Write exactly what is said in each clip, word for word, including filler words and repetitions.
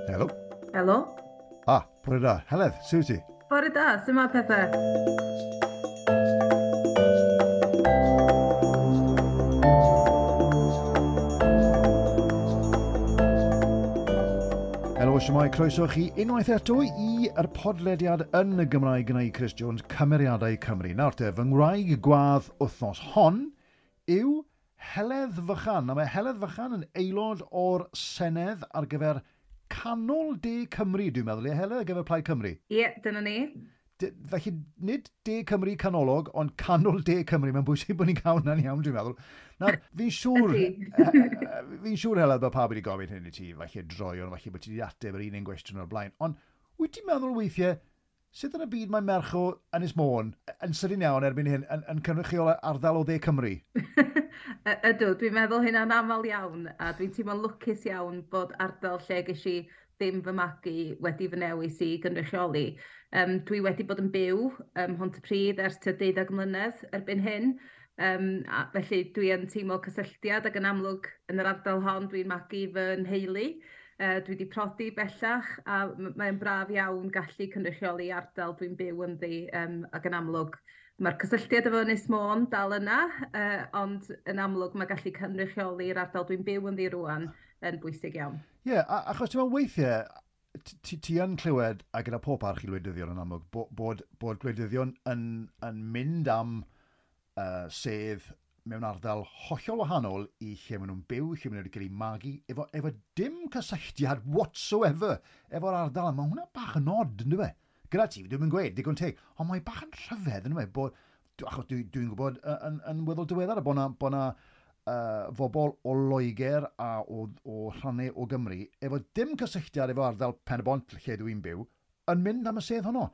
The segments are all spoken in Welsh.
Helo. Helo. Ah, bore da. Heledd, sut ti? Bore da, sut mae pethau? Helo, siwmai, croeso chi unwaith eto i'r podlediad yn y Gymraeg gyda i Chris Jones, Cymeriadau Cymru. Nawr te, fy ngwraig gwadd wythnos hon yw Heledd Fychan. A mae Heledd Fychan yn aelod o'r Senedd ar gyfer Canol De Cymru, dwi'n meddwl, ie Heledd, ar gyfer Plaid Cymru? Ie, yeah, dyna ni. De, felly, nid De Cymru canolog, ond Canol De Cymru. Mae'n bwysig bod ni'n cael hwnna'n iawn, dwi'n meddwl. Nawr, fi'n siŵr, fi'n siŵr, Heledd, bod pawb wedi gofyn hyn i ti, falle droion, falle bod ti wedi ateb yr un un gwestiwn o'r blaen. Ond wyt ti'n meddwl weithiau, sut yn y byd mae merch o Ynys Môn yn sydyn iawn erbyn hyn yn, yn cynrychiol ardal o Dde Cymru? Ydw, dwi'n meddwl hynna'n aml iawn, a dwi'n teimlo'n lwcus iawn bod ardal lle ges i ddim fy magu wedi fy newis i gynrychioli. Um, dwi wedi bod yn byw ym Mhontypridd ers tua deuddeg mlynedd erbyn hyn, um, a felly dwi yn teimlo cysylltiad ac yn amlwg yn yr ardal hon dwi'n magu fy nheulu. Uh, dwi wedi prodi bellach a mae'n braf iawn gallu cynrychioli ardal dwi'n byw ynddi, um, ac yn amlwg mae'r cysylltiad efo Ynys Môn dal yna, uh, ond yn amlwg mae gallu cynrychioli'r ardal dwi'n byw ynddi rŵan yn bwysig iawn. Ie, yeah, achos ti'n meddwl weithiau, ti, ti yn clywed, a gyda pob parch i gwleidyddion yn amlwg, bod, bod, bod gwleidyddion yn, yn mynd am uh, sedd mewn ardal hollol wahanol i lle maen nhw'n byw, lle maen nhw wedi cael eu magu, efo, efo dim cysylltiad whatsoever efo'r ardal. Mae hwnna bach yn odd, yn dyw e? Gyda ti, dwi'n gweud, digon teg, ond mae bach yn rhyfedd, yn dyw e, bod, achos dwi'n dwi gwybod yn, yn weddol diweddar bod na, bod na uh, fobl o Loegr a o, o rhannau o Gymru, efo dim cysylltiad efo ardal Pen-y-bont lle dwi'n byw, yn mynd am y sedd honno.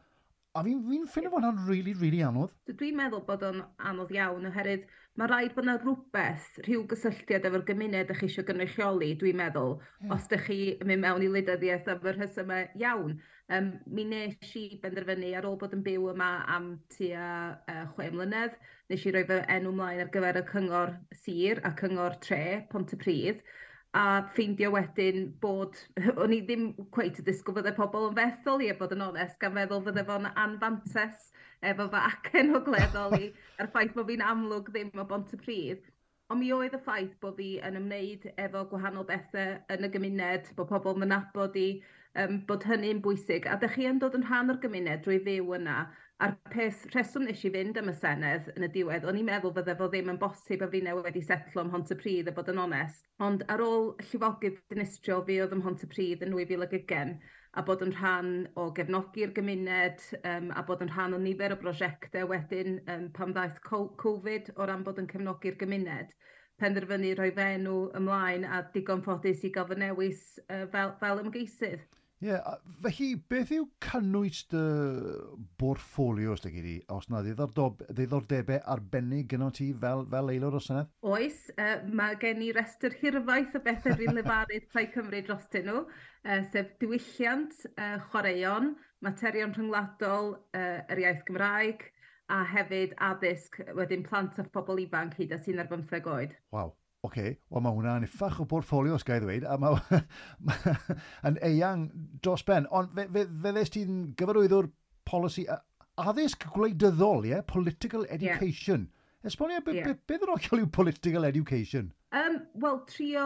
A fi'n fi ffindo fod hwnna'n really, really anodd. Dwi'n meddwl bod o'n anodd iawn, oherwydd mae rhaid bod yna rhywbeth, rhyw gysylltiad efo'r gymuned ych chi eisiau gynrychioli, dwi'n meddwl, yeah. Os ydych chi yn mynd mewn i wleidyddiaeth am y rhesymau iawn. Um, mi nes i benderfynu ar ôl bod yn byw yma am tua uh, chwe mlynedd, nes i roi fy enw mlaen ar gyfer y cyngor sir a cyngor tre, Pontypridd, a ffeindio wedyn bod, o'n i ddim cweit y disgwyl fydde pobl yn fethol i, a bod yn onest, gan feddwl fydde fo'n anfantes efo fy acen ogleddol i, a'r ffaith bod fi'n amlwg ddim o Bontypridd. Ond mi oedd y ffaith bod fi yn ymwneud efo gwahanol bethau yn y gymuned, bod pobl yn nabod i, um, bod hynny'n bwysig. A dych chi yn dod yn rhan o'r gymuned drwy fyw yna. A'r peth rheswm nes i fynd am y Senedd yn y diwedd, o'n i'n meddwl fydde fo ddim yn bosib a fi newydd wedi setlo ym Mhontypridd a bod yn onest. Ond ar ôl llifogydd dinistriol fi oedd ym Mhontypridd yn nwy fil ag ugain, a bod yn rhan o gefnogi'r gymuned, um, a bod yn rhan o nifer o brosiectau wedyn um, pan ddaeth Covid o ran bod yn cefnogi'r gymuned, penderfynu rhoi fy enw ymlaen a digon ffodus i gael fy newis uh, fel, fel ymgeisydd. Ie, yeah, felly beth yw cynnwys dy bortffolio, os di, os na ddiddordebau arbennig gyda ti fel, fel aelod o'r Senedd? Oes, uh, mae gen i restr hirfaith o bethau dwi'n lefarydd Plaid Cymru drostyn nhw, uh, sef diwylliant, uh, chwaraeon, materion rhyngwladol, uh, yr iaith Gymraeg, a hefyd addysg, wedyn plant a phobl ifanc hyd at un ar bymtheg oed. Waw. Oce, okay, wel mae hwnna'n uffach o bortffolio, os ga i ddweud, a mae yn eang dros ben. Ond fe, fe, fe ddest ti'n gyfarwyddwr polisi addysg gwleidyddol, ie? Yeah? Political education. Yeah. Esbonio, be, yeah. be, beth yn hollol yw political education? Um, Wel, trio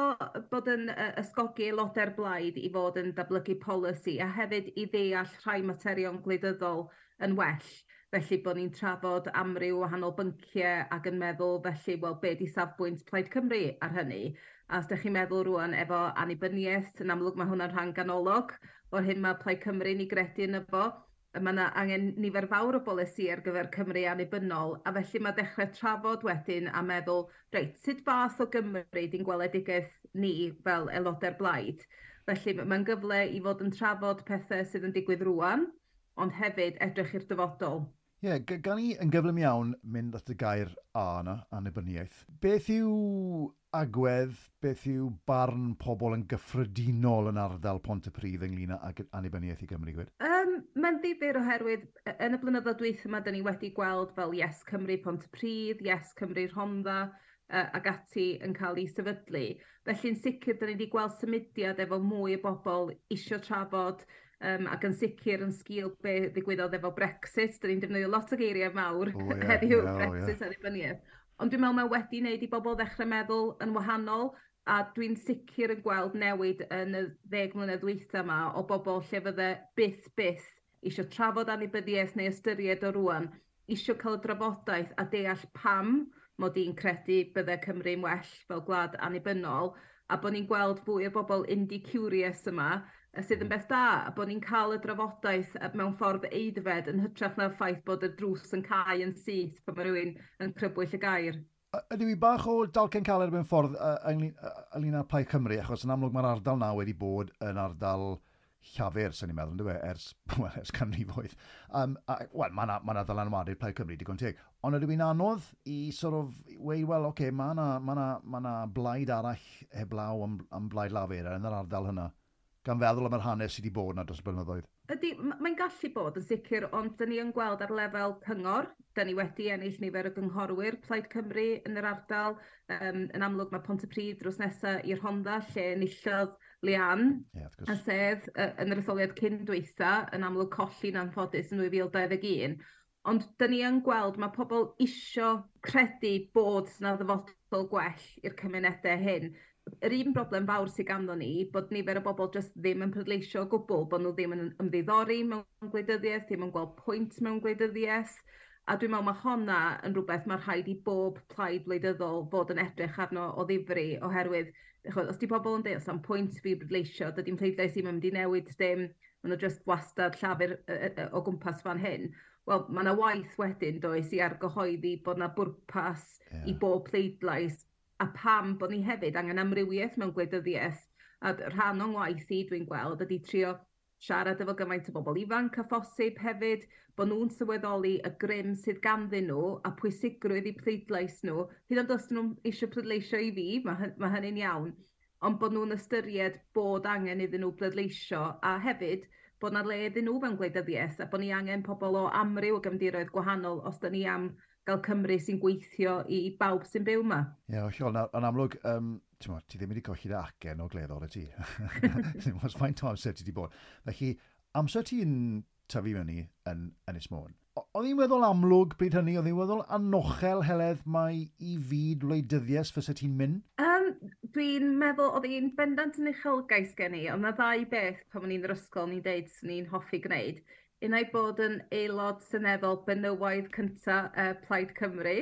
bod yn uh, ysgogi aelodau'r blaid i fod yn datblygu polisi a hefyd i ddeall rhai materion gwleidyddol yn well. Felly bod ni'n trafod amryw wahanol bynciau ac yn meddwl felly, wel, be di safbwynt Plaid Cymru ar hynny? A os ydych chi'n meddwl rŵan efo annibyniaeth, yn amlwg mae hwnna'n rhan ganolog o'r hyn mae Plaid Cymru'n ei gredu yno fo. Mae yna angen nifer fawr o bolisi ar gyfer Cymru annibynnol, a felly mae dechrau trafod wedyn a meddwl, reit, sut fath o Gymru di'n gweledigaeth ni fel aelodau'r blaid? Felly mae'n gyfle i fod yn trafod pethau sydd yn digwydd rŵan, ond hefyd edrych i'r dyfodol. Ie, yeah, gan i yn gyflym iawn mynd at y gair A yna, annibyniaeth. Beth yw agwedd, beth yw barn pobl yn gyffredinol yn ardal Pontypridd ynglyn ag annibyniaeth i Gymru, gwed? Um, Mae'n ddifyr oherwydd yn y blynyddoedd dwytha yma, dyn ni wedi gweld fel Yes Cymru Pontypridd, Yes Cymru Rhondda, uh, ac ati yn cael ei sefydlu. Felly'n sicr, dyn ni wedi gweld symudiad efo mwy o bobl isio trafod um, ac yn sicr yn sgil be ddigwyddodd efo Brexit. Dyn ni'n defnyddio lot o geiriau mawr oh, yeah, heddiw, yeah, Brexit, oh, yeah. annibyniaeth. Ond dwi'n meddwl mae wedi wneud i bobl ddechrau meddwl yn wahanol, a dwi'n sicr yn gweld newid yn y ddeg mlynedd dwytha yma o bobl lle fydde byth byth eisiau trafod annibyniaeth neu ystyried o rwan, eisiau cael y drafodaeth a deall pam mod i'n credu bydde Cymru'n well fel gwlad annibynnol, a bod ni'n gweld fwy o bobl indie curious yma, sydd yn beth da, a bod ni'n cael y drafodaeth mewn ffordd aeddfed yn hytrach na'r ffaith bod y drws yn cau yn syth pan mae rhywun yn crybwyll y gair. Ydw i bach o dalcen caled mewn ffordd ynglyn â Plaid Cymru, achos yn amlwg mae'r ardal na wedi bod yn ardal Llafur, sy'n ni'n meddwl, yn dwi, ers, well, ers canrifoedd. Um, Wel, mae yna ma ddylanwadu Plaid Cymru, digon teg. Ond ydw i'n anodd i sort of, weud, wel, oce, okay, mae yna ma na, ma na blaid arall heblaw am, am blaid Lafur yn yr ardal hynna, gan feddwl am yr hanes sydd wedi bod yna dros y blynyddoedd. Ydy, mae'n gallu bod yn sicr, ond dyn ni yn gweld ar lefel cyngor, dyn ni wedi ennill nifer o gynghorwyr Plaid Cymru yn yr ardal. Um, yn amlwg mae Pontypridd drws nesaf i'r Rhondda, lle enillodd Leanne yeah, a sedd yn yr etholiad cyn dwytha, yn amlwg colli'n anffodus yn dwy fil dau ddeg un. Ond dyn ni yn gweld mae pobl isio credu bod yna ddyfodol gwell i'r cymunedau hyn. Yr un broblem fawr sydd ganddo ni, bod nifer o bobl jyst ddim yn pleidleisio o gwbl, bod nhw ddim yn ymddiddori mewn gwleidyddiaeth, ddim yn gweld pwynt mewn gwleidyddiaeth. A dwi'n meddwl mae honna yn rhywbeth mae rhaid i bob plaid wleidyddol fod yn edrych arno o ddifri, oherwydd chod, os di pobl yn dweud, os am pwynt fi bleidleisio, dydy'n pleidlais ddim yn mynd i newid dim, maen nhw jyst wastad llafur o gwmpas fan hyn. Wel, mae yna waith wedyn, does, i argyhoeddi bod yna bwrpas yeah. i bob pleidlais, a pam bod ni hefyd angen amrywiaeth mewn gwleidyddiaeth. A rhan o'n ngwaith i, dwi'n gweld, ydy trio siarad efo gymaint o bobl ifanc a phosib hefyd, bod nhw'n sylweddoli y grym sydd ganddyn nhw a pwysigrwydd i pleidlais nhw. Hyd yn oed os nhw'n eisiau pleidleisio i fi, mae, mae hynny'n iawn, ond bod nhw'n ystyried bod angen iddyn nhw pleidleisio a hefyd bod na le iddyn nhw mewn gwleidyddiaeth a bod ni angen pobl o amryw o gefndiroedd gwahanol os da ni am gael Cymru sy'n gweithio i bawb sy'n byw yma. Ie, yeah, hollol. Yn amlwg, um, ti'n ti ddim wedi colli dy acen ogleddol y ti. Ddim ots faint o amser ti wedi bod. Felly, amser ti'n tyfu mewn i yn Ynys Môn, oedd hi'n weddol amlwg bryd hynny, oedd hi'n weddol anochel, Heledd, mai i fyd wleidyddiaeth fysa ti'n mynd? Um, dwi'n meddwl oedd hi'n bendant yn uchelgais gen i, ond mae ddau beth pan o'n i'n yr ysgol ni'n deud swn i'n hoffi gwneud. Unai bod yn aelod seneddol benywaidd cynta uh, Plaid Cymru,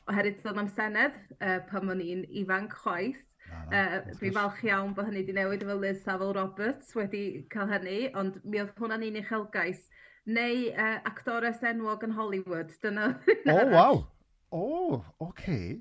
oherwydd doedd na'm senedd uh, pan o'n i'n ifanc chwaith. Na, na, uh, dwi'n falch iawn bod hynny wedi newid efo Liz Saville Roberts wedi cael hynny, ond mi oedd hwnna'n un uchelgais. Neu uh, actores enwog yn Hollywood. Dyna. O, oh, waw! O, oh, oce. Okay.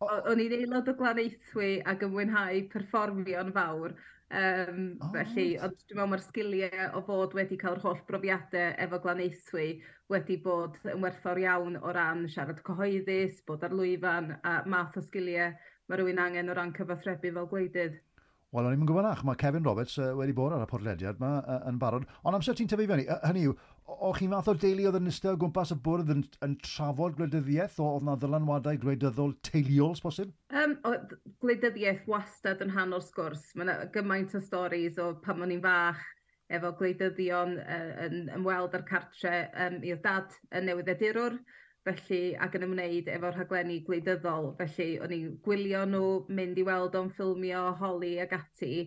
O'n i'n aelod o Glanaethwy ac yn mwynhau perfformio'n fawr. Um, oh, felly, ond dwi'n meddwl mae'r sgiliau o fod wedi cael yr holl brofiadau efo Glanaethwy wedi bod yn werthfawr iawn o ran siarad cyhoeddus, bod ar lwyfan a math o sgiliau mae rhywun angen o ran cyfathrebu fel gwleidydd. Wel, o'n i'n gwybod nach, mae Kevin Roberts uh, wedi bod ar y podlediad yma uh, yn barod. Ond amser ti'n tyfu fyny, hynny yw, o'ch chi'n fath o deulu oedd yn eistedd o gwmpas y bwrdd yn, yn trafod gwleidyddiaeth, o oedd na ddylanwadau gwleidyddol teuluol, posib? Um, o, gwleidyddiaeth wastad yn rhan o'r sgwrs. Mae yna gymaint o storis o pan o'n i'n fach efo gwleidyddion uh, yn ymweld â'r cartre. Um, mi oedd dad yn newyddiadurwr, felly, ac yn ymwneud efo rhaglenni gwleidyddol. Felly, o'n i'n gwylio nhw, mynd i weld o'n ffilmio, holi ac ati.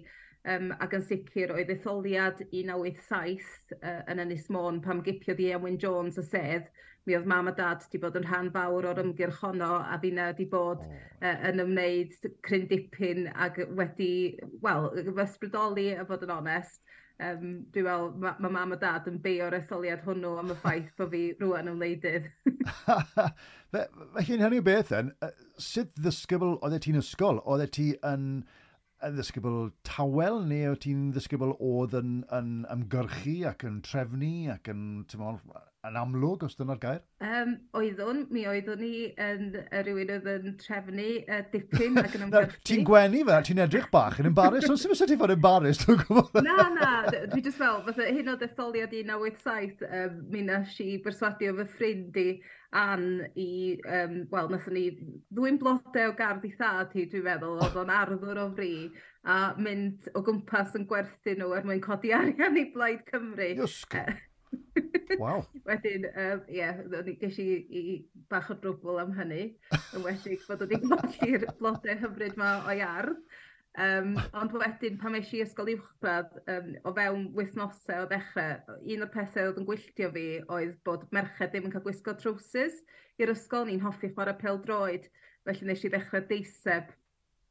Um, ac yn sicr oedd etholiad un naw wyth saith uh, yn Ynys Môn pam gipiodd Ieuan Wyn Jones y sedd. Mi oedd mam a dad wedi bod yn rhan fawr o'r ymgyrch honno a finna wedi bod oh. uh, yn ymwneud cryn dipyn ac wedi, wel, ysbrydoli a fod yn onest. Um, dwi'n meddwl, mae ma mam a dad yn beio'r etholiad hwnnw am y ffaith bod fi rwan yn wleidydd. Felly, yn hynny o beth then, sut ddisgybl oeddet ti'n ysgol? Oeddet ti yn, yn ddisgybl tawel, neu o ti'n ddisgybl oedd yn, yn ymgyrchu ac yn trefnu ac yn, ti'n yn amlwg, os dyna'r gair? Um, oeddwn, mi oeddwn i yn rhywun oedd yn trefnu uh, dipyn ac yn ymgyrchu. Ti'n gwenu fe, ti'n edrych bach yn embarrassed, ond sy'n ti fod embarrassed, dwi'n gwybod? Na, na, dwi jyst fel, fatha hyn o detholiad un naw wyth saith, um, mi nes i berswadio fy ffrind i Ann i, um, wel, nathon ni ddwyn blodau o gardd i thad hi, dwi'n meddwl, oedd o'n arddwr o fri, a mynd o gwmpas yn gwerthu nhw er mwyn codi arian i Blaid Cymru. Iesgob. Waw. Wedyn, ie, yeah, ges i, i bach o drwbl am hynny, yn enwedig bod wedi colli'r blodau hyfryd ma o'i ardd. Um, ond wedyn, pan es i ysgol uwchradd, um, o fewn wythnosau o ddechrau, un o'r pethau oedd yn gwylltio fi oedd bod merched ddim yn cael gwisgo trowsus i'r ysgol. Ni'n hoffi chwarae pêl-droed, felly nes i ddechrau deiseb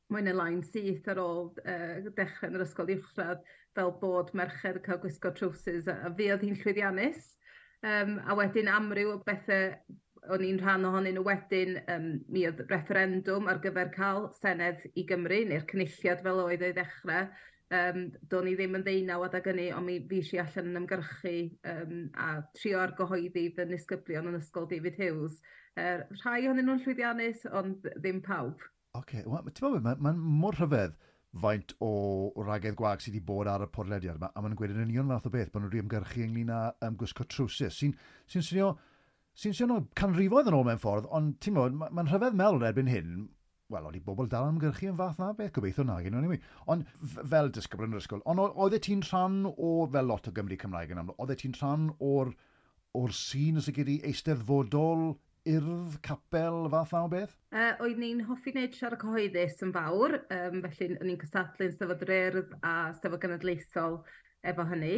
mwy neu lai'n syth ar ôl uh, dechrau yn yr ysgol uwchradd, fel bod merched yn cael gwisgo trowsus, a, a fi oedd hi'n llwyddiannus. Um, a wedyn amryw o bethau o'n i'n rhan ohonyn nhw wedyn, um, mi oedd referendwm ar gyfer cael Senedd i Gymru, neu'r cynulliad fel oedd ei ddechrau. Um, do'n i ddim yn ddeunaw adeg hynny, ond mi fues i allan yn ymgyrchu um, a trio argyhoeddi fy nisgyblion yn ysgol David Hughes. Uh, rhai ohonyn nhw'n llwyddiannus, ond ddim pawb. Oce, okay. Well, ti'n meddwl, mae'n ma mor rhyfedd faint o wragedd gwag sydd wedi bod ar y podlediad yma, a maen nhw'n gweud yn union fath o beth, bod nhw wedi ymgyrchu ynglyn â um, gwisgo trowsus, sy'n sy swnio, sy'n swnio canrifoedd yn ôl mewn ffordd, ond ti'n meddwl, mae'n ma rhyfedd meddwl erbyn hyn, wel, oedd i bobl dal yn ymgyrchu yn fath na beth, gobeithio na, gen anyway. Ond fel disgybl yn yr ysgol, ond oeddet ti'n rhan o, fel lot o Gymru Cymraeg yn amlwg, oeddet ti'n rhan o'r, o'r sîn os y eisteddfodol, urdd, capel, fath na o beth? Uh, oedd ni'n hoffi wneud siarad cyhoeddus yn fawr, um, felly o'n i'n cystadlu yn Steddfod yr Urdd a Steddfod Genedlaethol efo hynny,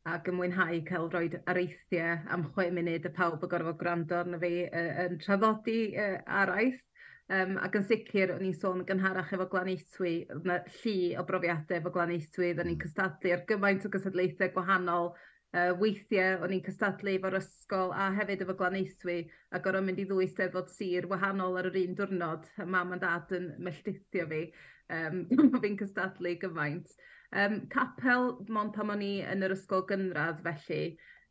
ac yn mwynhau cael rhoi areithiau am chwe munud y pawb yn gorfod gwrando arno fi uh, yn traddodi uh, araith. Um, ac yn sicr, o'n i'n sôn yn gynharach efo Glanaethwy, oedd 'na llu o brofiadau efo Glanaethwy, oedden ni'n cystadlu ar gymaint o gystadlaethau gwahanol. Uh, weithiau o'n i'n cystadlu efo'r ysgol a hefyd efo Glanaethwy a gorfod mynd i ddwy steddfod sir wahanol ar yr un diwrnod. A mam a dad yn melltithio fi, um, bod fi'n cystadlu gymaint. Um, capel, mond pan o'n i yn yr ysgol gynradd felly,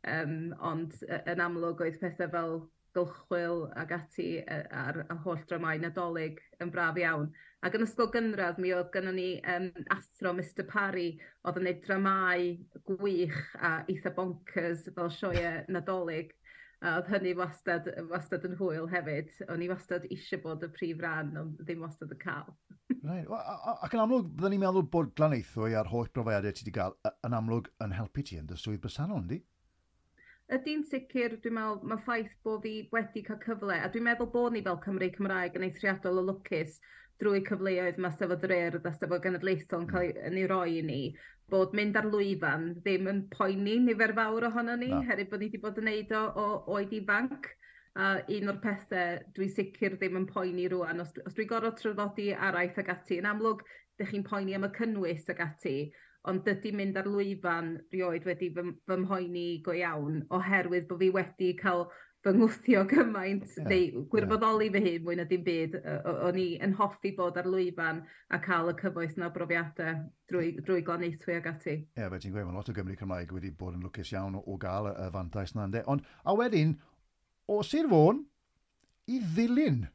um, ond yn amlwg oedd pethau fel gylchwyl ag ati ar y holl dramau Nadolig yn braf iawn. Ac yn ysgol gynradd mi oedd gynnon ni um, athro Mister Parry oedd yn gwneud dramau gwych a eitha bonkers fel sioeau Nadolig. A oedd hynny wastad, wastad yn hwyl hefyd. O'n i wastad eisiau bod y prif ran, ond ddim wastad yn cael. Right. Ac yn amlwg, byddwn ni'n meddwl bod Glanaethwy a'r holl brofiadau ti wedi cael yn amlwg yn helpu ti yn dy swydd bresennol, yndi? Ydy'n sicr, dwi'n meddwl, mae ffaith bod fi wedi cael cyfle, a dwi'n meddwl bod ni fel Cymru Cymraeg yn eithriadol o lwcus drwy cyfleoedd mae Steddfod yr Urdd a Steddfod Genedlaethol yn cael ei roi i ni, bod mynd ar lwyfan ddim yn poeni nifer fawr ohono ni, herwydd bod ni wedi bod yn neud o o oed ifanc. A un o'r pethau dwi'n sicr ddim yn poeni rŵan, os, os dwi'n gorfod traddodi araith ag ati, yn amlwg, dych chi'n poeni am y cynnwys ag ati, ond dydy mynd ar lwyfan rioed wedi fy, fy mhoeni go iawn, oherwydd bod fi wedi cael fy ngwthio gymaint, yeah, neu gwirfoddoli yeah. fy hun mwy na dim byd. O'n i yn hoffi bod ar lwyfan a cael y cyfoeth na brofiadau drwy, drwy Glanaethwy ag ati. Ie, yeah, fe ti'n gweud, mae lot o Gymru Cymraeg wedi bod yn lwcus iawn o, o gael y, y fantais na, ynde. Ond, a wedyn, o Sir Fôn i Ddulyn,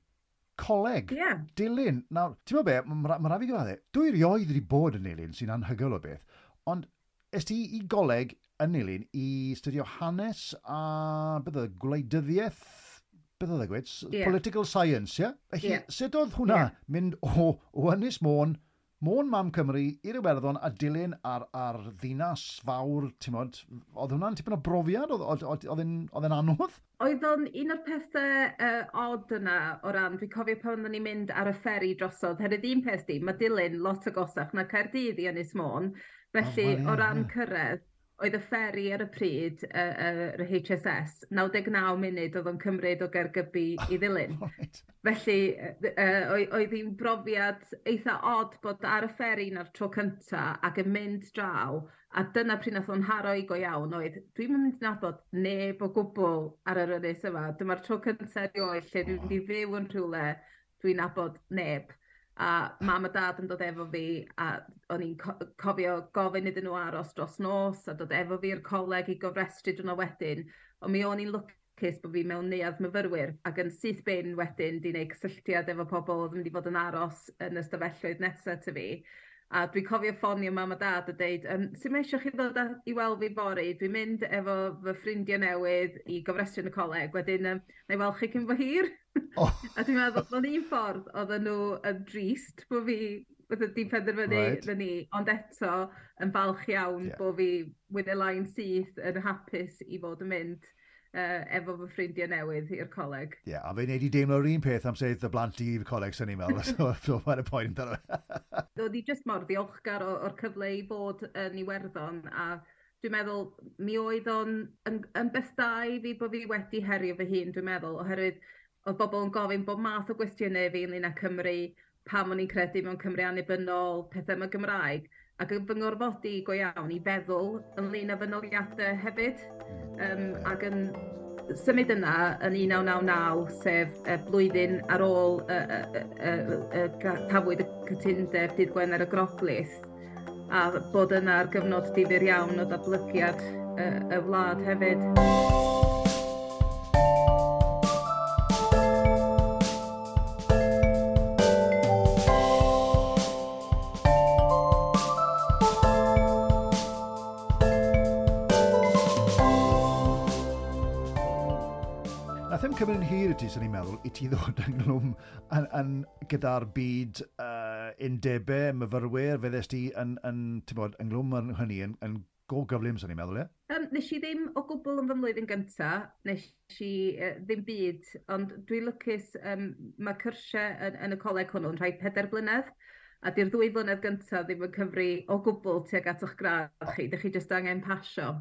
coleg, yeah. Dulyn. Nawr, ti'n meddwl be, mae ma rhaid fi gyfadde, dwi erioed wedi bod yn Nulyn, sy'n anhygoel o beth, ond es ti i goleg yn Nulyn i studio hanes a beth oedd, gwleidyddiaeth, beth oedd e gweud? Yeah. Political science, ie? Yeah? Felly, yeah. sut oedd hwnna yeah. mynd o, o Ynys Môn, Môn Mam Cymru, i'r Iwerddon a Dulyn ar, ar ddinas fawr, ti'n modd, oedd hwnna'n tipyn o brofiad? Oedd, oedd, oedd e'n anodd? Oedd o'n un o'r pethau uh, odd yna o ran, dwi'n cofio pan oedden ni'n mynd ar y fferi drosodd, herwydd un peth di, mae Dulyn lot agosach na Caerdydd i Ynys Môn, felly oh, well, yeah, o ran yeah. cyrraedd, oedd y fferi ar y pryd, yr uh, uh, H S S, naw deg naw munud oedd o'n cymryd o Gaergybi i Ddulyn. Right. Felly, uh, oedd hi'n brofiad eitha odd bod ar y fferi na'r tro cynta ac yn mynd draw, a dyna pryd nath o'n haro i go iawn oedd, dwi'n mynd i nabod neb o gwbl ar yr ynys yma. Dyma'r tro cynta erioed lle dwi'n mynd i fyw yn rhywle dwi'n nabod neb. A mam a dad yn dod efo fi, a o'n i'n co cofio gofyn iddyn nhw aros dros nos a dod efo fi i'r coleg i gofrestru diwrnod wedyn. Ond mi o'n i'n lwcus bod fi mewn neuadd myfyrwyr ac yn syth bin wedyn di wneud cysylltiad efo pobl oedd yn mynd i fod yn aros yn y stafelloedd nesaf ty fi. A dwi'n cofio ffonio mam a dad a deud, um, sut mae eisiau chi ddod i weld fi fory? Dwi'n mynd efo fy ffrindiau newydd i gofrestru yn y coleg, wedyn um, na i weld chi cyn bo hir. Oh. A dwi'n meddwl, mewn un ffordd, oedden nhw yn drist bod fi wedi penderfynu right. na ni, ond eto yn falch iawn yeah. bod fi with a line syth yn hapus i fod yn mynd uh, efo fy ffrindiau newydd i'r coleg. Ie, yeah, a fe wneud i deimlo'r un peth am sedd y blant i'r coleg, sy'n ni'n meddwl, so, so mae'n y poen amdano. Oedd i jyst mor ddiolchgar o'r cyfle i fod yn Iwerddon, a dwi'n meddwl mi oedd o'n yn, yn beth da i fi bod fi wedi herio fy hun, dwi'n meddwl, oherwydd oedd bobl yn gofyn bob math o gwestiynau fi ynglyn â Cymru, pam o'n i'n credu mewn Cymru annibynnol, pethau yma Gymraeg, ac yn fy ngorfodi go iawn i feddwl ynglyn â fy noliadau hefyd. Um, ac yn symud yna yn un naw naw naw, sef y blwyddyn ar ôl y, y, y, y, y, cafwyd y cytundeb dydd Gwener y Groglith, a bod yna ar gyfnod difyr iawn o ddatblygiad y, y wlad hefyd. Cymryd yn hir i ti, sy'n ni'n meddwl, i ti ddod ynghlwm yn, yn, gyda'r byd uh, undebau, myfyrwyr, fe ddest ti yn, yn, ti'n bod, ynghlwm yn hynny yn, yn go gyflym, sy'n ni'n meddwl, ie? Um, nes i ddim o gwbl yn fy mlwyddyn gyntaf, nes i uh, ddim byd, ond dwi'n lwcus, um, mae cyrsiau yn, yn y coleg hwnnw yn rhai pedair blynedd, a di'r ddwy flynedd gyntaf ddim yn cyfri o gwbl tuag at eich gradd chi, dych chi jyst angen pasio.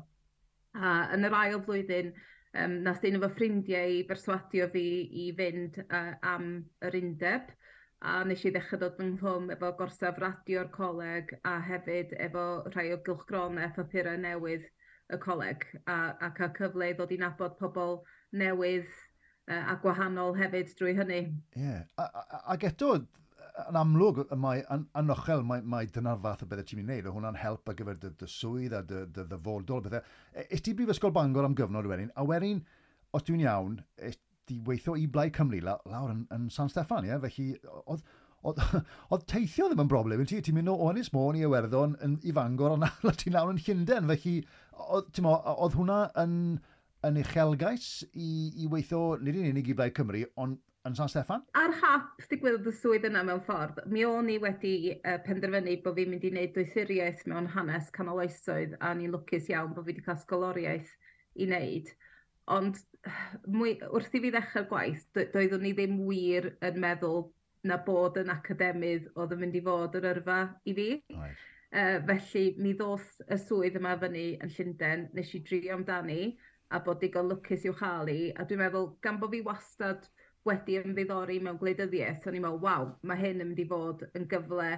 A yn yr ail flwyddyn, Um, nath un o fy ffrindiau i berswadio fi i fynd uh, am yr undeb, a nes i ddechrau dod ynghlwm efo gorsaf radio'r coleg a hefyd efo rhai o gylchgronau papurau newydd y coleg, a, a cael cyfle i ddod i nabod pobl newydd uh, a gwahanol hefyd drwy hynny. Ie, yeah. Ac eto, yn amlwg, mae, yn anochel, mae, mae dyna'r fath o bethau ti'n mynd i wneud. Hwnna'n help ar gyfer dy, dy swydd a dy, dy ddyfodol. Bethau. Es ti Brifysgol Bangor am gyfnod wedyn, a wedyn, os dwi'n iawn, es ti weithio i Blaid Cymru la, lawr yn, yn San Steffan, ie? Felly, oedd, oedd, oedd teithio ddim yn broblem i ti. Ti'n mynd o Ynys Môn i Iwerddon yn, i Fangor, a nawr ti'n lawr yn Llundain. Felly, oedd, ti'n mo, oedd hwnna yn, yn uchelgais i, i weithio, nid yn unig i Blaid Cymru, ond yn San Steffan? Ar hap digwyddodd y swydd yna mewn ffordd, mi o'n i wedi uh, penderfynu bod fi'n mynd i wneud doethuriaeth mewn hanes canol oesoedd, a ni'n lwcus iawn bod fi wedi cael sgoloriaeth i wneud. Ond mwy, wrth i fi ddechrau'r gwaith, doeddwn i ddim wir yn meddwl na bod yn academydd oedd yn mynd i fod yr yrfa i fi. Right. Uh, felly mi ddoth y swydd yma fyny yn Llundain, nes i drio amdani a bod digon lwcus i'w chael i, a dwi'n meddwl gan bod fi wastad wedi ymddiddori mewn gwleidyddiaeth, o'n i'n meddwl, waw, mae hyn yn mynd i fod yn gyfle,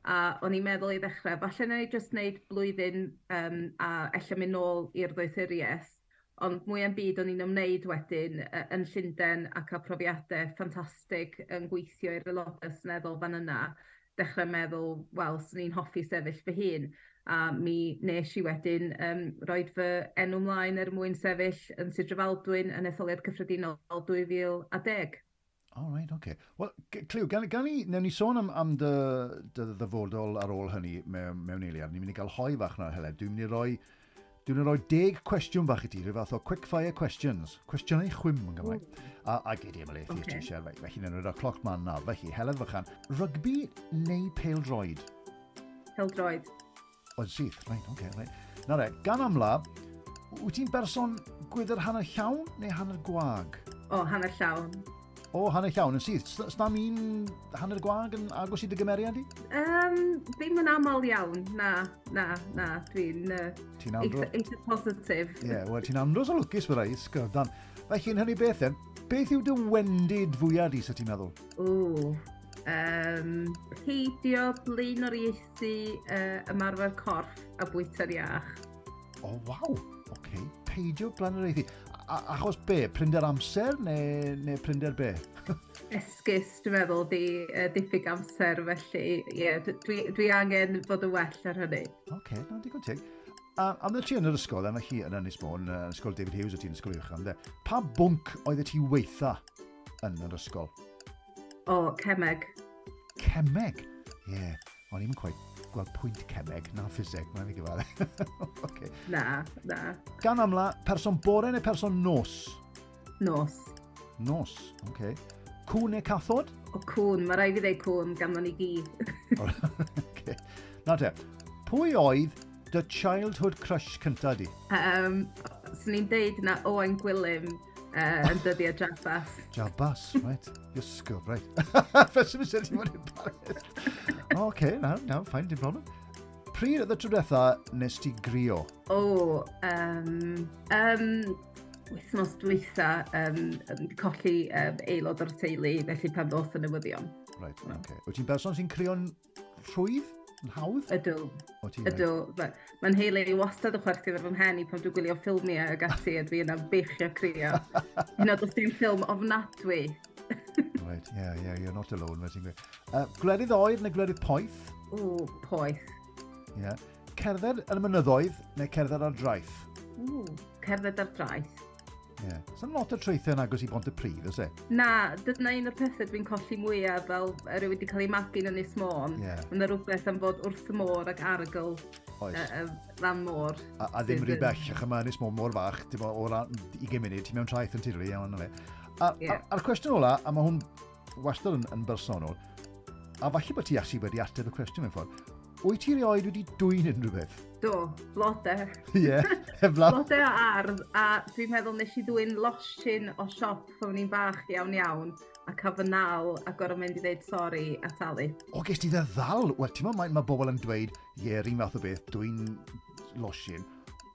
a o'n i'n meddwl i ddechrau, falle na i jyst wneud blwyddyn um, a ella mynd nôl i'r ddoethuriaeth, ond mwy am byd o'n i'n ymwneud wedyn yn Llundain a cael profiadau ffantastig yn gweithio i'r aelodau seneddol fan yna, dechrau meddwl, wel, swn i'n hoffi sefyll fy hun, a mi nes i wedyn um, roed fy enw mlaen er mwyn sefyll yn Sir Drefaldwyn yn etholiad cyffredinol dwy fil a deg. Oh, right, okay. Wel, Cliw, gan, gan i, newn ni sôn am, am dy, dy ddyfodol ar ôl hynny mewn, mewn eiliad. Ni'n mynd i gael hoi fach nawr, Heledd. Dwi'n mynd i roi, dwi'n mynd i roi deg cwestiwn fach i ti, rhyw fath o quick fire questions. Cwestiynau chwim yn Gymraeg. A, a gei di ymlaethu okay. Ti eisiau. Felly, newn ni roi'r cloc man nawr. Felly, Heledd Fychan, rygbi neu pêl-droed? Pêl-droed. Oedd syth, reit, oce, okay, reit. Na re, gan amla, wyt ti'n berson gwydr hanner llawn neu hanner gwag? O, hanner llawn. O, hanner llawn yn syth. S'nam un hanner gwag yn agos i dy gymeriad i? Um, ddim yn aml iawn, na, na, na, dwi'n uh, ti'n andro... eitha, eitha positif. Ie, yeah, wel, ti'n andros o lwcus fy rai, sgyrdan. Felly, yn hynny beth then, beth yw dy wendid fwyaf di, sa ti'n meddwl? O, Um, peidio blaenoriaethu uh, ymarfer corff a bwyta'r iach. O, oh, waw! Oce, okay. Peidio blaenoriaethu. a, achos be? Prinder amser neu, neu prinder be? Esgus, dwi'n meddwl, di uh, diffyg amser, felly ie, yeah, dwi, dwi angen fod yn well ar hynny. Oce, okay, na, digon teg. A am ti yn yr ysgol, yna chi yn Ynys Môn, yn ysgol David Hughes, o ti'n ysgol uwch, de. Pa bwnc oedd ti weitha yn yr ysgol? O, cemeg. Cemeg? Ie, yeah. O'n i'n quite gweld pwynt cemeg na ffiseg, mae'n fi gyfadde. Okay. Na, na. Gan amla, person bore neu person nos? Nos. Nos, oce. Okay. Cwn neu cathod? O, cwn, mae rhaid fi ddeud cwn gan ni gi. Okay. Na te, pwy oedd dy childhood crush cynta di? Um, Swn i'n deud na Owain Gwilym uh, yn dyddiau Jabas. Jabas, right. Ysgol, right. Fe sy'n mynd i fod yn embarrassed. Oce, na, na, fine, dim problem. Pryd oedd y tro diwetha nes ti grio? O, um, um, wythnos dwytha, um, colli um, aelod o'r teulu, felly pan ddoth y newyddion. Right, oce. Okay. Wyt ti'n berson sy'n crio'n rhwydd? Yn hawdd? Ydw. Ydw. Mae'n heili i wastad yn chwerthin ar fy mhen i pan dwi'n gwylio ffilmiau ag ati a dwi yna beichio crio. Hyn oed os dwi'n ffilm ofnadwy. Right, yeah, yeah, you're not alone, fel ti'n gweud. Uh, gwledydd oer neu gwledydd poeth? O, poeth. Yeah. Cerdded yn y mynyddoedd neu cerdded ar draeth? O, cerdded ar draeth. Ie. Yeah. Sa'n lot o traethau yn agos i Bont-y-pridd, oes e? Na, dyna un o'r pethau dwi'n colli mwyaf fel rhywun wedi cael ei magu yn Ynys Môn. Yeah. Mae yna rhywbeth am fod wrth y môr ac arogl uh, uh, lan môr. A, a ddim rhy bell, ach yma Ynys Môn mor fach, dim o ran ugain munud, ti mewn traeth yn tirlu, iawn na fe. A, yeah. A'r cwestiwn ola, a mae hwn wastad yn, yn bersonol, a falle bod ti actually wedi ateb y cwestiwn mewn ffordd, wyt ti erioed wedi dwyn unrhyw beth? Do, blode. Ie, yeah, heblaw. Blode o ardd, a dwi'n meddwl nes i ddwyn losin o siop pan o'n i'n bach iawn iawn, a cael fy nal a gorfod mynd i ddeud sori a talu. O, ges ti dy ddal? Wel, ti'n meddwl, mae, mae bobl yn dweud, ie, yeah, un fath o beth, dwyn losin,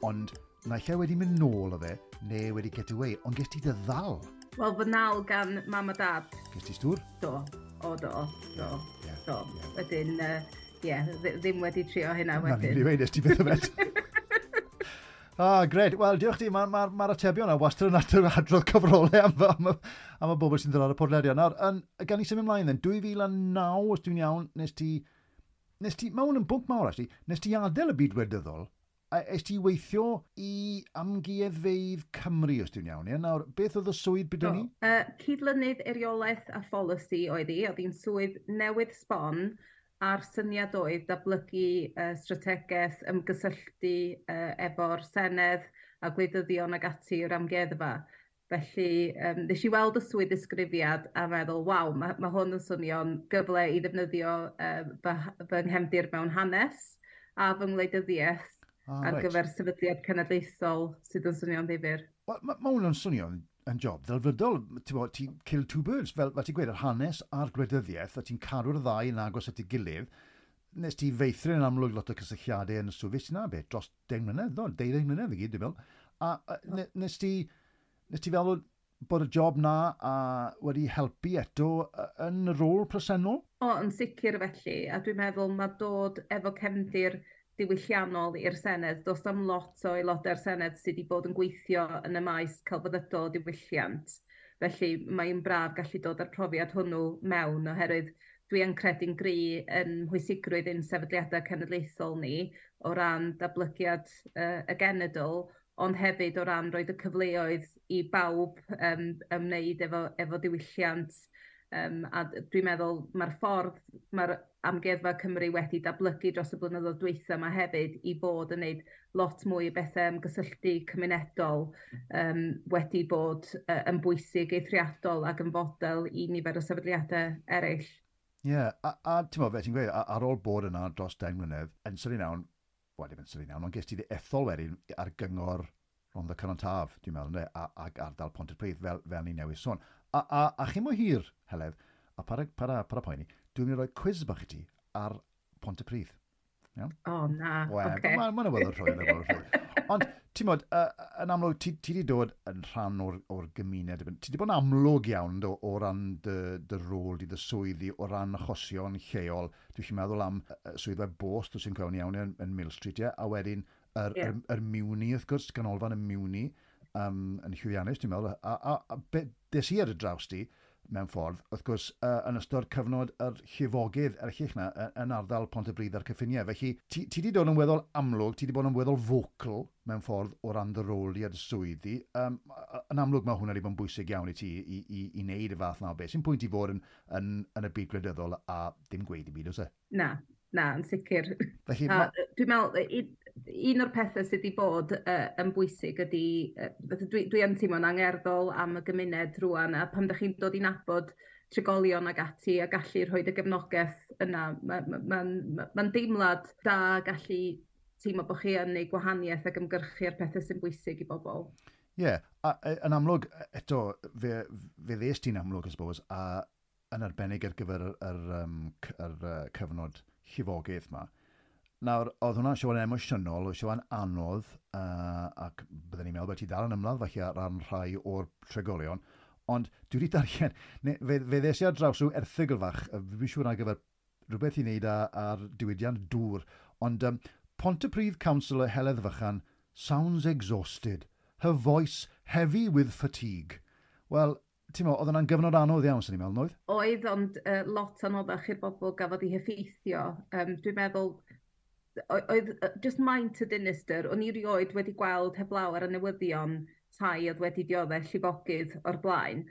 ond naill ai wedi mynd nôl o fe, neu wedi get away, ond ges ti dy ddal? Wel, fy nal gan mam a dad. Ges ti stwr? Do, o do, do, yeah, do. Yeah. Wedyn, uh, ie, yeah, ddim wedi trio hynna wedyn. Na, ni'n dweud, nes ti byth yfed. Ah, gred. Wel, diolch ti. Mae'r ma, ma, ma atebion yna wastad yn adrodd, adrodd cyfrolau am, am, am y bobl sy'n dod ar y podlediad. Nawr, yn, gan i symud ymlaen then, dwy fil a naw, os dwi'n iawn, nes ti... Nes ti, mae hwn yn bwnc mawr, actually, nes ti adael y byd wleidyddol, a es ti weithio i Amgueddfeydd Cymru, os dwi'n iawn. Ie? Nawr, beth oedd y swydd byd ni? Uh, cydlynydd eiriolaeth a pholisi oedd hi. Oedd hi'n swydd newydd sbon a'r syniad oedd datblygu uh, strategaeth ymgysylltu uh, efo'r Senedd a gwleidyddion ag ati o'r amgueddfa. Felly, um, nes i weld y swydd ddisgrifiad a meddwl, waw, mae, ma hwn yn swnio'n gyfle i ddefnyddio uh, fy, fy nghefndir mewn hanes a fy ngwleidyddiaeth ah, ar right. gyfer sefydliad cenedlaethol sydd yn swnio'n ddifyr. Wel, mae ma hwn yn swnio'n yn job ddelfrydol. Ti'n bod, ti'n kill two birds, fel, fel ti'n gweud, yr hanes a'r gwleidyddiaeth, a ti'n cadw'r ddau yn agos at ei gilydd. Nes ti feithrin yn amlwg lot o cysylltiadau yn y swydd, ti'n na beth, dros deng mlynedd, do, deuddeng mlynedd i gyd, dwi'n meddwl. A, a ne, nes ti, nes ti feddwl bod y job na a wedi helpu eto yn y rôl presennol? O, yn sicr felly, a dwi'n meddwl mae dod efo cefndir diwylliannol i'r Senedd. Does am lot o aelodau'r Senedd sydd wedi bod yn gweithio yn y maes celfyddydol diwylliant. Felly mae'n braf gallu dod â'r profiad hwnnw mewn oherwydd dwi yn credu'n gry yn mhwysigrwydd ein sefydliadau cenedlaethol ni o ran datblygiad uh, y genedl, ond hefyd o ran roed y cyfleoedd i bawb um, ymwneud efo, efo diwylliant. Um, a dwi'n meddwl mae'r ffordd mae'r Amgueddfa Cymru wedi datblygu dros y blynyddoedd dwytha yma hefyd i fod yn gwneud lot mwy o bethau ymgysylltu cymunedol um, wedi bod uh, yn bwysig eithriadol ac yn fodel i nifer o sefydliadau eraill. Ie, yeah, a, a ti'n meddwl, fe ti'n gweud, ar ôl bod yna dros deng mlynedd, yn sydyn iawn, wel, ddim yn sydyn iawn, ond ges ti dy ethol wedyn ar gyngor Rhondda Cynon Taf, dwi'n meddwl, ynde, a, ac ardal Pontypridd, fel, fel ni newydd sôn. A, a, a chi mor hir, Heledd, a para, para, para poeni, dwi'n mynd i roi quiz bach i ti ar Pontypridd. Iawn? O, oh, na, oce. Okay. Mae'n ma awyddor rhoi, yn awyddor rhoi. Ond, ti'n modd, uh, yn amlwg, ti, ti di dod yn rhan o'r, or gymuned. Ti di bod yn amlwg iawn do, o ran dy, dy rôl di, dy swyddi, o ran achosion lleol. Dwi'n meddwl am uh, swyddfa bost, os sy'n cofio'n iawn, yn, yn Mill Street, ie? A wedyn yr, yeah. yr, yr Miwni, wrth gwrs, ganolfan y Miwni. um, yn llwyddiannus, dwi'n meddwl, a, a, a be, des i ar y draws di, mewn ffordd, wrth gwrs, uh, yn ystod cyfnod yr llifogydd erchyll 'na yn ardal Pontypridd a'r cyffiniau. Felly, ti, ti di dod yn weddol amlwg, ti di bod yn weddol vocal mewn ffordd o ran dy rôl i a dy swyddi. Um, yn amlwg mae hwnna wedi bod yn bwysig iawn i ti i, i, i wneud y fath na o beth. Sy'n pwynt i fod yn, yn, yn y byd gwleidyddol a dim gweud i byd, oes e? Na, na, yn sicr. Felly, ma... Dwi'n meddwl, un o'r pethau sydd wedi bod uh, yn bwysig ydy, uh, dwi, dwi yn teimlo'n angerddol am y gymuned rwan, a pan ydych chi'n dod i nabod trigolion ag ati a gallu rhoi y gefnogaeth yna, mae'n ma, ma, ma, ma deimlad da gallu teimlo bod chi yn neud gwahaniaeth ac ymgyrchu ar pethau sy'n bwysig i bobl. Ie, yeah, a, yn amlwg, eto, fe, fe ddes ti'n amlwg, I suppose, a yn arbennig ar gyfer yr, yr, um, yr, yr cyfnod llifogydd yma. Nawr, oedd hwnna'n siŵr yn emosiynol, oedd siŵr yn anodd, uh, ac byddwn ni'n meddwl bod ti dal yn ymladd falle ar ran rhai o'r trigolion, ond dwi wedi darllen, ne, fe, fe ddes i ar draws rhyw erthygl fach, fi'n siŵr ar gyfer rhywbeth i wneud ar, ar diwydiant dŵr, ond um, Pontypridd Councillor Heledd Fychan sounds exhausted, her voice heavy with fatigue. Wel, ti'n meddwl, oedd yna'n gyfnod anodd iawn, sy'n ni'n meddwl, oedd? Oedd, ond uh, lot anoddach i'r bobl gafodd eu heffeithio. Um, dwi'n meddwl, oedd just maint y dinistr, o'n i rioed wedi gweld heblaw ar y newyddion tai oedd wedi dioddef llifogydd o'r blaen,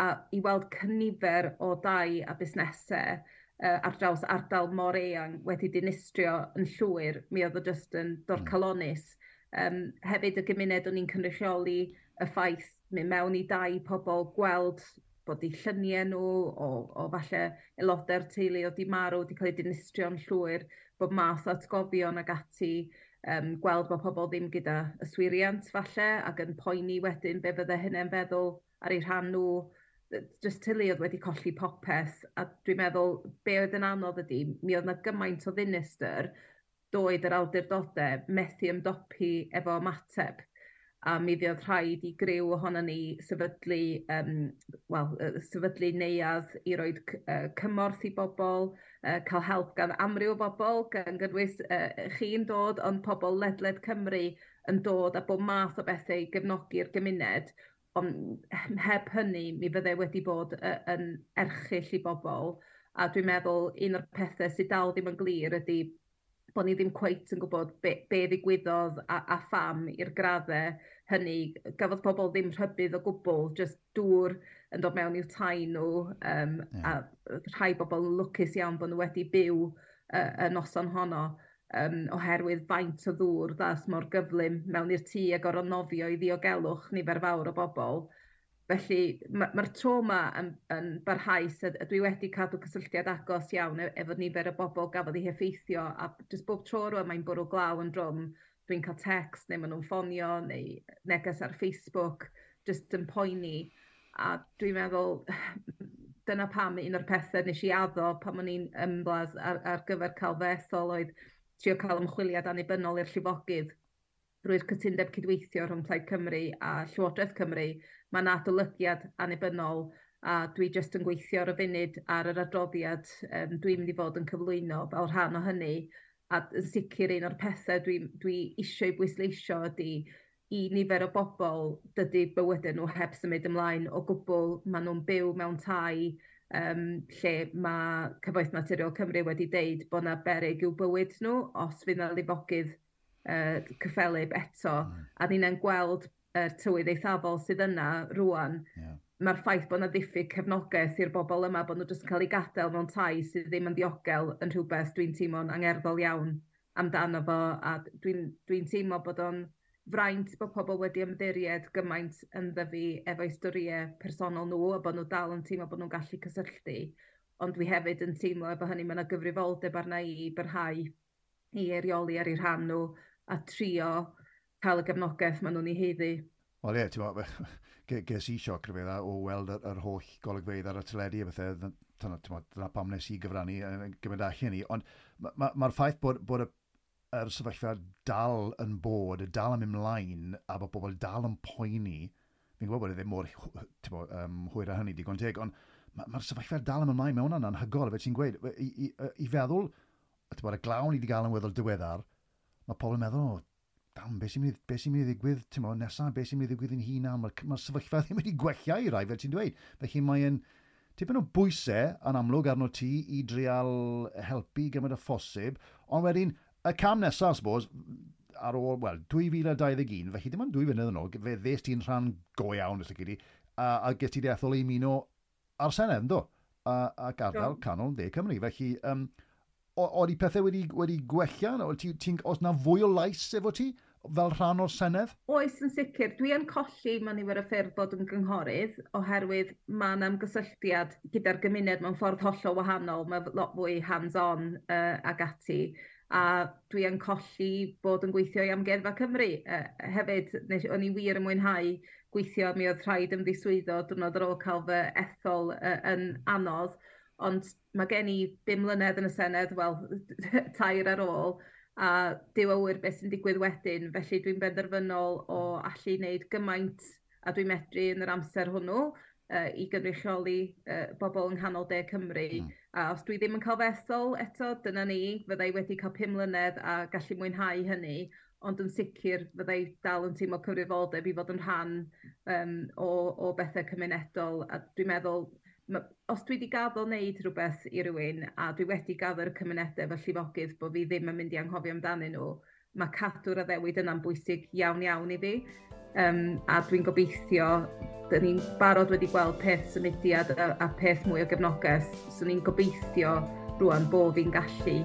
a i weld cynifer o dai a busnesau uh, ar draws ardal mor eang wedi dinistrio yn llwyr, mi oedd o just yn dorcalonnus. Um, hefyd y gymuned o'n i'n cynrychioli, y ffaith mynd mewn i dai pobl, gweld bod eu lluniau nhw, o, o falle aelodau'r teulu oedd 'di marw, wedi cael eu dinistrio'n llwyr, bod math o atgofion ag ati, um, gweld bod pobl ddim gyda yswiriant falle, ac yn poeni wedyn be fydde hynny'n feddwl ar eu rhan nhw, just teulu oedd wedi colli popeth, a dwi'n meddwl be oedd yn anodd ydy, mi oedd yna gymaint o ddinistr, doedd yr awdurdodau methu ymdopi efo ymateb, a mi fuodd rhaid i griw ohono ni sefydlu, um, well, sefydlu neuadd i roi uh, cymorth i bobl, uh, cael help gan amryw o bobl, gan gynnwys uh, chi'n dod, ond pobl ledled Cymru yn dod a bob math o bethau i gefnogi'r gymuned, ond heb hynny mi fyddai wedi bod uh, yn erchyll i bobl, a dwi'n meddwl un o'r pethau sydd dal ddim yn glir ydy bod ni ddim cweit yn gwybod be, be ddigwyddodd a, a pham i'r graddau hynny. Gafodd pobl ddim rhybudd o gwbl, just dŵr yn dod mewn i'w tai nhw, um, yeah. a rhai bobl yn lwcus iawn bod nhw wedi byw uh, y noson honno, um, oherwydd faint o ddŵr ddaeth mor gyflym mewn i'r tŷ a gorfod nofio i ddiogelwch nifer fawr o bobl. Felly mae'r ma trauma yn, yn barhaus, a dwi wedi cadw cysylltiad agos iawn efo nifer o bobl gafodd eu heffeithio, a jyst bob tro rwan mae'n bwrw glaw yn drwm, dwi'n cael text neu maen nhw'n ffonio neu neges ar Facebook, jyst yn poeni. A dwi'n meddwl, dyna pam un o'r pethau nes i addo pan o'n i'n ymladd ar, ar gyfer cael fy ethol oedd trio cael ymchwiliad annibynnol i'r llifogydd drwy'r cytundeb cydweithio rhwng Plaid Cymru a Llywodraeth Cymru. Mae yna adolygiad annibynnol a dwi jyst yn gweithio ar y funud ar yr adroddiad um, dwi'n mynd i fod yn cyflwyno fel rhan o hynny. A yn sicr un o'r pethau dwi, dwi eisiau bwysleisio ydy i nifer o bobl dydy bywydau nhw heb symud ymlaen o gwbl. Maen nhw'n byw mewn tai um, lle mae Cyfoeth Naturiol Cymru wedi deud bod yna beryg i'w bywyd nhw os fydd yna lifogydd uh, cyffelyb eto. Mm. A ni'n gweld y uh, tywydd eithafol sydd yna rwan. Yeah. Mae'r ffaith bod yna ddiffyg cefnogaeth i'r bobl yma, bod nhw jyst yn cael eu gadael mewn tai sydd ddim yn ddiogel yn rhywbeth dwi'n teimlo'n angerddol iawn amdano fo, a dwi'n dwi teimlo bod o'n fraint bod pobl wedi ymddiried gymaint ynddo fi efo'u storïau personol nhw, a bod nhw dal yn teimlo bod nhw'n gallu cysylltu. Ond dwi hefyd yn teimlo efo hynny mae yna gyfrifoldeb arna i i barhau i eirioli ar eu rhan nhw a trio cael y gefnogaeth maen nhw'n ei haeddu. Wel ie, ti'n meddwl, ges i sioc rhyfedd o weld yr, yr holl golygfeydd ar y teledu a bethau, dyna, dyna pam nes i gyfrannu gymaint allan ni, ond mae'r ma, ma ffaith bod, bod y, yr sefyllfa dal yn bod, dal yn ymlaen, a bod bobl dal yn poeni, fi'n gwybod bod e ddim mor mo, um, hwyr â hynny digon teg, ond mae'r ma sefyllfa dal yn ymlaen, mae hwnna'n anhygoel, fe ti'n gweud, i, i, i feddwl, ti'n bod, y glaw ni wedi gael yn weddol diweddar, mae pobl yn meddwl, o, Dam, beth sy'n mynd, be sy'n mynd i ddigwydd, ti'n mo, nesaf, beth sy'n mynd i ddigwydd yn hunan, mae'r ma sefyllfa ddim wedi gwella i rai, fel ti'n dweud. Felly mae'n tipyn o bwysau yn amlwg arno ti i drial helpu gymaint o phosib, ond wedyn, y cam nesaf, I suppose, ar ôl, wel, dwy fil a dau ddeg un, felly dim ond dwy flynedd yn ôl, fe ddes ti'n rhan go iawn, os lici di, a, a ges ti dy ethol i ymuno ar Senedd, ynddo? A, ac ardal canol De Cymru. Felly, um, oedd pethau wedi, wedi gwella? Ti, ti, oes na fwy o lais efo ti fel rhan o'r Senedd? Oes, yn sicr. Dwi yn colli mewn nifer o ffyrdd bod yn gynghorydd, oherwydd mae yna ymgysylltiad gyda'r gymuned mewn ffordd hollol wahanol. Mae lot fwy hands-on uh, ag ati. A dwi yn colli bod yn gweithio i Amgueddfa Cymru. Uh, hefyd, nes, o'n i wir yn mwynhau gweithio, mi oedd rhaid ymddiswyddo diwrnod ar ôl cael fy ethol uh, yn anodd. Ond mae gen i bum mlynedd yn y Senedd, wel, tair ar ôl, a Duw a ŵyr beth sy'n digwydd wedyn. Felly dwi'n benderfynol o allu wneud gymaint a dwi'n medru yn yr amser hwnnw uh, i gynrychioli uh, bobl yng nghanol De Cymru. Mm. A os dwi ddim yn cael fy ethol eto, dyna ni, fyddai wedi cael pum mlynedd a gallu mwynhau hynny, ond yn sicr fyddai dal yn teimlo cyfrifoldeb i fod yn rhan um, o, o bethau cymunedol. A dwi'n meddwl, ma, os dwi wedi gaddo wneud rhywbeth i rywun, a dwi wedi gaddo'r cymunedau fel llifogydd bod fi ddim yn mynd i anghofio amdanyn nhw, mae cadw'r addewid yna'n bwysig iawn iawn i fi. Um, a dwi'n gobeithio, dyn ni'n barod wedi gweld peth symudiad a, a peth mwy o gefnogaeth, so ni'n gobeithio rwan bod fi'n gallu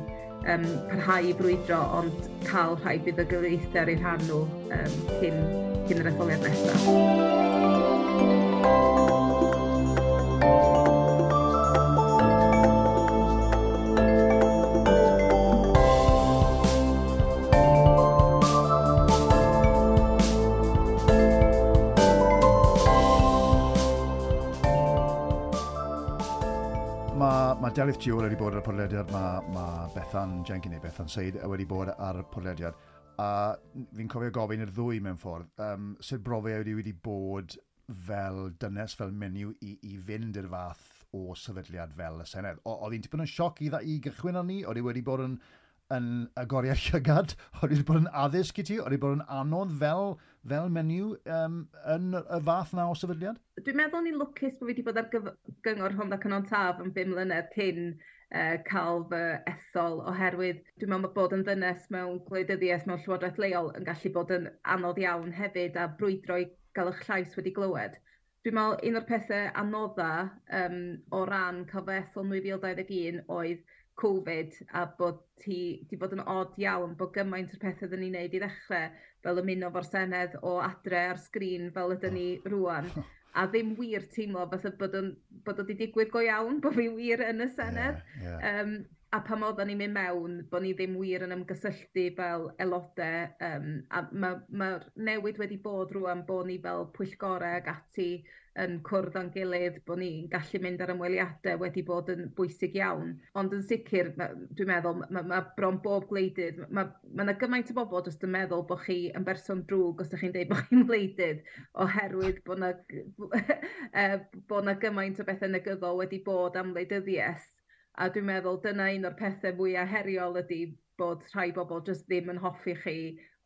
um, parhau i brwydro, ond cael rhai buddugoliaethau ar eu rhan nhw um, cyn, cyn yr etholiad nesaf. Mae Delyth Jewell wedi bod ar y podlediad, mae, ma Bethan Jenkins neu Bethan Seid wedi bod ar y podlediad. A fi'n cofio gofyn i'r ddwy mewn ffordd, um, sut brofiad wedi wedi bod fel dynes, fel menyw i, i fynd i'r fath o sefydliad fel y Senedd. O, oedd hi'n tipyn o sioc i, i gychwyn arni? Oedd hi wedi bod yn, yn agoriad llygad? Oedd hi wedi bod yn addysg i ti? Oedd hi wedi bod yn anodd fel, fel menyw um, yn y fath na o sefydliad? Dwi'n meddwl ni'n lwcus bod fi wedi bod ar gyngor Rhondda Cynon Taf yn bum mlynedd cyn uh, cael fy ethol, oherwydd dwi'n meddwl bod yn ddynes mewn gwleidyddiaeth mewn llywodraeth leol yn gallu bod yn anodd iawn hefyd a brwydro i gael eich llais wedi glywed. Dwi'n meddwl un o'r pethau anodda um, o ran cael fy ethol nwy fil dau ddeg un oedd Covid, a bod ti di bod yn od iawn bod gymaint o'r pethau ydyn ni'n neud i ddechrau, fel ymuno fo'r Senedd o adre ar sgrin fel ydyn ni rwan, a ddim wir teimlo fatha bod o'n, bod o wedi digwydd go iawn, bod fi wir yn y Senedd. Yeah, yeah. Um, a pan oedden ni'n mynd mewn, bod ni ddim wir yn ymgysylltu fel aelodau, um, a mae'r ma, ma newid wedi bod rwan bod ni fel pwyllgorau ac ati yn cwrdd â'n gilydd, bod ni'n gallu mynd ar ymweliadau wedi bod yn bwysig iawn. Ond yn sicr, dwi'n meddwl, mae ma bron bob gwleidydd, mae ma yna gymaint o bobl jyst yn meddwl bod chi yn berson drwg os ydych chi'n dweud bod chi'n wleidydd, oherwydd bod yna, bod yna gymaint o bethau negyddol wedi bod am wleidyddiaeth. A dwi'n meddwl dyna un o'r pethau fwyaf heriol ydy bod rhai bobl jyst ddim yn hoffi chi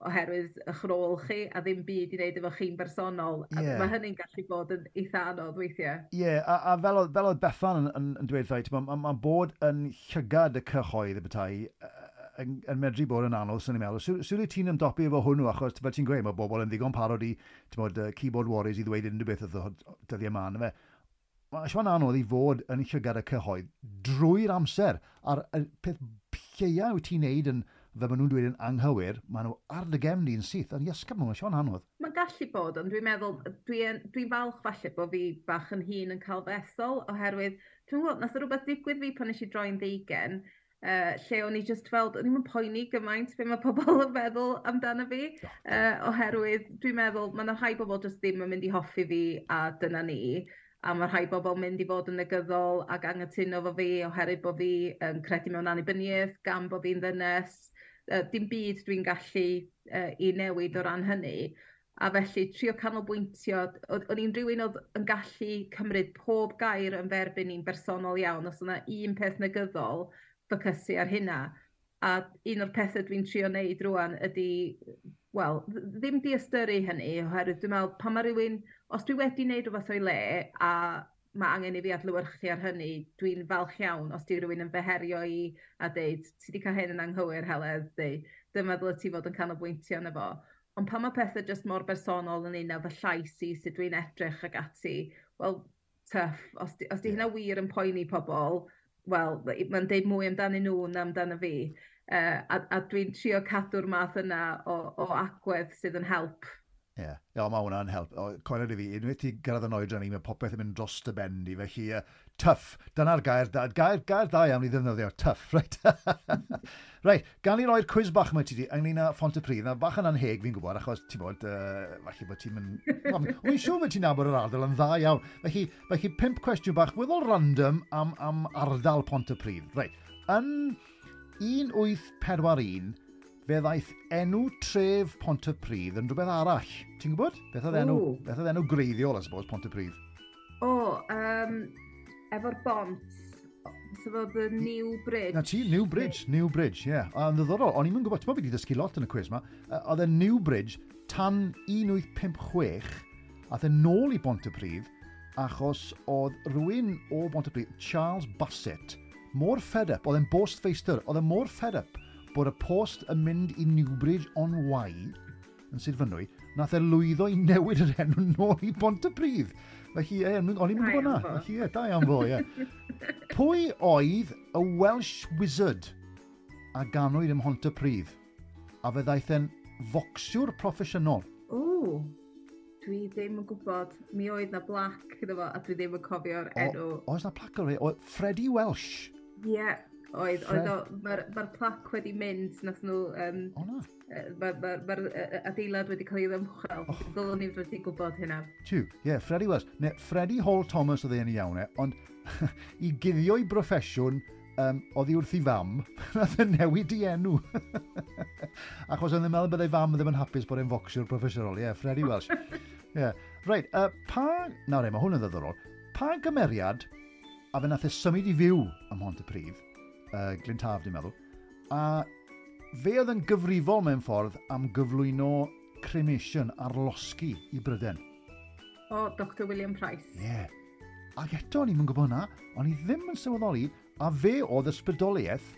oherwydd eich rôl chi a ddim byd i wneud efo chi'n bersonol. Yeah. Mae hynny'n gallu bod yn eitha anodd weithiau. Ie, yeah, a, a fel, oedd, fel oedd Bethan yn, yn, yn dweud, mae ma, ma bod yn llygad y cyhoedd y bethau yn, yn medru bod yn anodd, sy'n ni'n meddwl. Sut wyt ti'n ymdopi efo hwnnw, achos fel ti'n gweud, mae bobl yn ddigon parod i, ti'n bod, keyboard warriors i ddweud unrhyw beth wrth dyddiau yma, yndyfe? Mae'n siŵr anodd i fod yn llygad y cyhoedd drwy'r amser, a'r peth lleia wyt ti'n neud yn, fel maen nhw'n dweud yn anghywir, maen nhw ar dy gefn di'n syth, ond iesgob, mae'n siŵr anodd. Mae'n gallu bod, ond dwi'n meddwl, dwi'n dwi falch falle bod fi bach yn hŷn yn cael fy ethol, oherwydd, dwi'n gwybod, nath o rhywbeth digwydd fi pan nes i droi'n ddeugen, uh, lle o'n i just felt, o'n i'm yn poeni gymaint be mae pobl yn meddwl amdano fi, uh, oherwydd dwi'n meddwl, mae yna rhai bobl just ddim yn mynd i hoffi fi, a dyna ni. A mae rhai bobl mynd i fod yn negyddol ac anghytuno efo fi oherwydd bod fi yn credu mewn annibyniaeth, gan bod fi'n ddynes. Uh, dim byd dwi'n gallu uh, i newid o ran hynny. A felly trio canolbwyntio, o'n i'n rhywun oedd yn gallu cymryd pob gair yn ferbyn i'n bersonol iawn. Os yna un peth negyddol, ffocysu ar hynna. A un o'r pethau dwi'n trio wneud rwan ydy, wel, ddim diystyru hynny, oherwydd dwi'n meddwl, pan mae rhywun, os dwi wedi wneud rhywbeth o'i le, a mae angen i fi adlewyrchu ar hynny, dwi'n falch iawn os di rhywun yn fy herio i a deud, "Ti wedi cael hyn yn anghywir, Heledd," neu "Dyma ddyle ti fod yn canolbwyntio arno fo." Ond pan mae pethau jyst mor bersonol yn un fy llais i, sut dwi'n edrych ac ati, wel, tough. Os di, os di hynna wir yn poeni pobl, wel, mae'n deud mwy amdanyn nhw na amdano fi. Uh, a, a dwi'n trio cadw'r math yna o, o agwedd sydd yn help. Ie, yeah. Yeah, mae hwnna'n help. O, coelio i fi, unwaith ti gyrraedd yn oedran i, mae popeth yn mynd dros dy ben di, felly uh, tough. Dyna'r gair, da, gair, gair da iawn i ddefnyddio, tough, right? Right, gan i roi'r cwiz bach yma ti di, ynglyn â Phontypridd. Na, bach yn anheg fi'n gwybod, achos ti'n bod, uh, falle bod ti'n mynd. Wy'n siŵr bod ti'n nabod yr ardal yn dda iawn. Felly, felly pump cwestiwn bach, weddol random am, am ardal Pontypridd. Right, yn un wyth pedwar un, fe ddaeth enw tref Pontypridd yn rhywbeth arall. Ti'n gwybod? Beth oedd enw, beth oedd enw greiddiol, I suppose, Pontypridd? O, um, efo'r bont, so fo the New Bridge. Na ti, New Bridge, New Bridge, ie. Yeah. A yn ddiddorol, o'n i'n gwybod, ti'n bod fi wedi dysgu lot yn y cwiz ma, oedd e New Bridge tan un wyth pump chwech, aeth e nôl i Bontypridd, achos oedd rhywun o Bontypridd, Charles Bassett, mor fed up, oedd e'n bostfeistr, oedd e mor fed up bod y post yn mynd i Newbridge on Wye yn Sir Fynwy, nath e lwyddo i newid yr enw nôl i Bontypridd. Felly, e, o'n i'n gwybod na. Felly, e, da iawn fo, ie. Pwy oedd y Welsh Wizard a ganwyd ym Mhontypridd? A fe ddaeth e'n focsiwr proffesiynol. O, dwi ddim yn gwybod. Mi oedd na blac iddo fo, a dwi ddim yn cofio'r enw. Oes na plac o'r e? Freddie Welsh. Ie, yeah, oedd, oedd o, mae'r ma plac wedi mynd, nath nhw, um, O na. Mae'r ma, ma, ma adeilad wedi cael ei ddymchwel. Oh. Dylwn ni wedi gwybod hynna. Tiw, ie, yeah, Freddie Welsh. Ne, Freddie Hall Thomas oedd e'n iawn e, ond i guddio'i broffesiwn, um, oddi wrth i fam, nath e newid i enw. Achos oedd e'n meddwl byddai fam ddim yn hapus bod e'n focsiwr proffesiynol. Ie, yeah, Freddie Welsh. Ie. Yeah. Reit, uh, pa... Nawr e, mae hwn yn ddiddorol. Pa gymeriad, a fe nath e symud i fyw ym Mhontypridd, uh, Glyn Taf, dwi'n meddwl, a fe oedd yn gyfrifol mewn ffordd am gyflwyno cremation ar losgi i Bryden? O, Doctor William Price. Ie. Yeah. Ac eto, o'n i'n gwybod hwnna, o'n i ddim yn sylweddoli, a fe oedd ysbrydoliaeth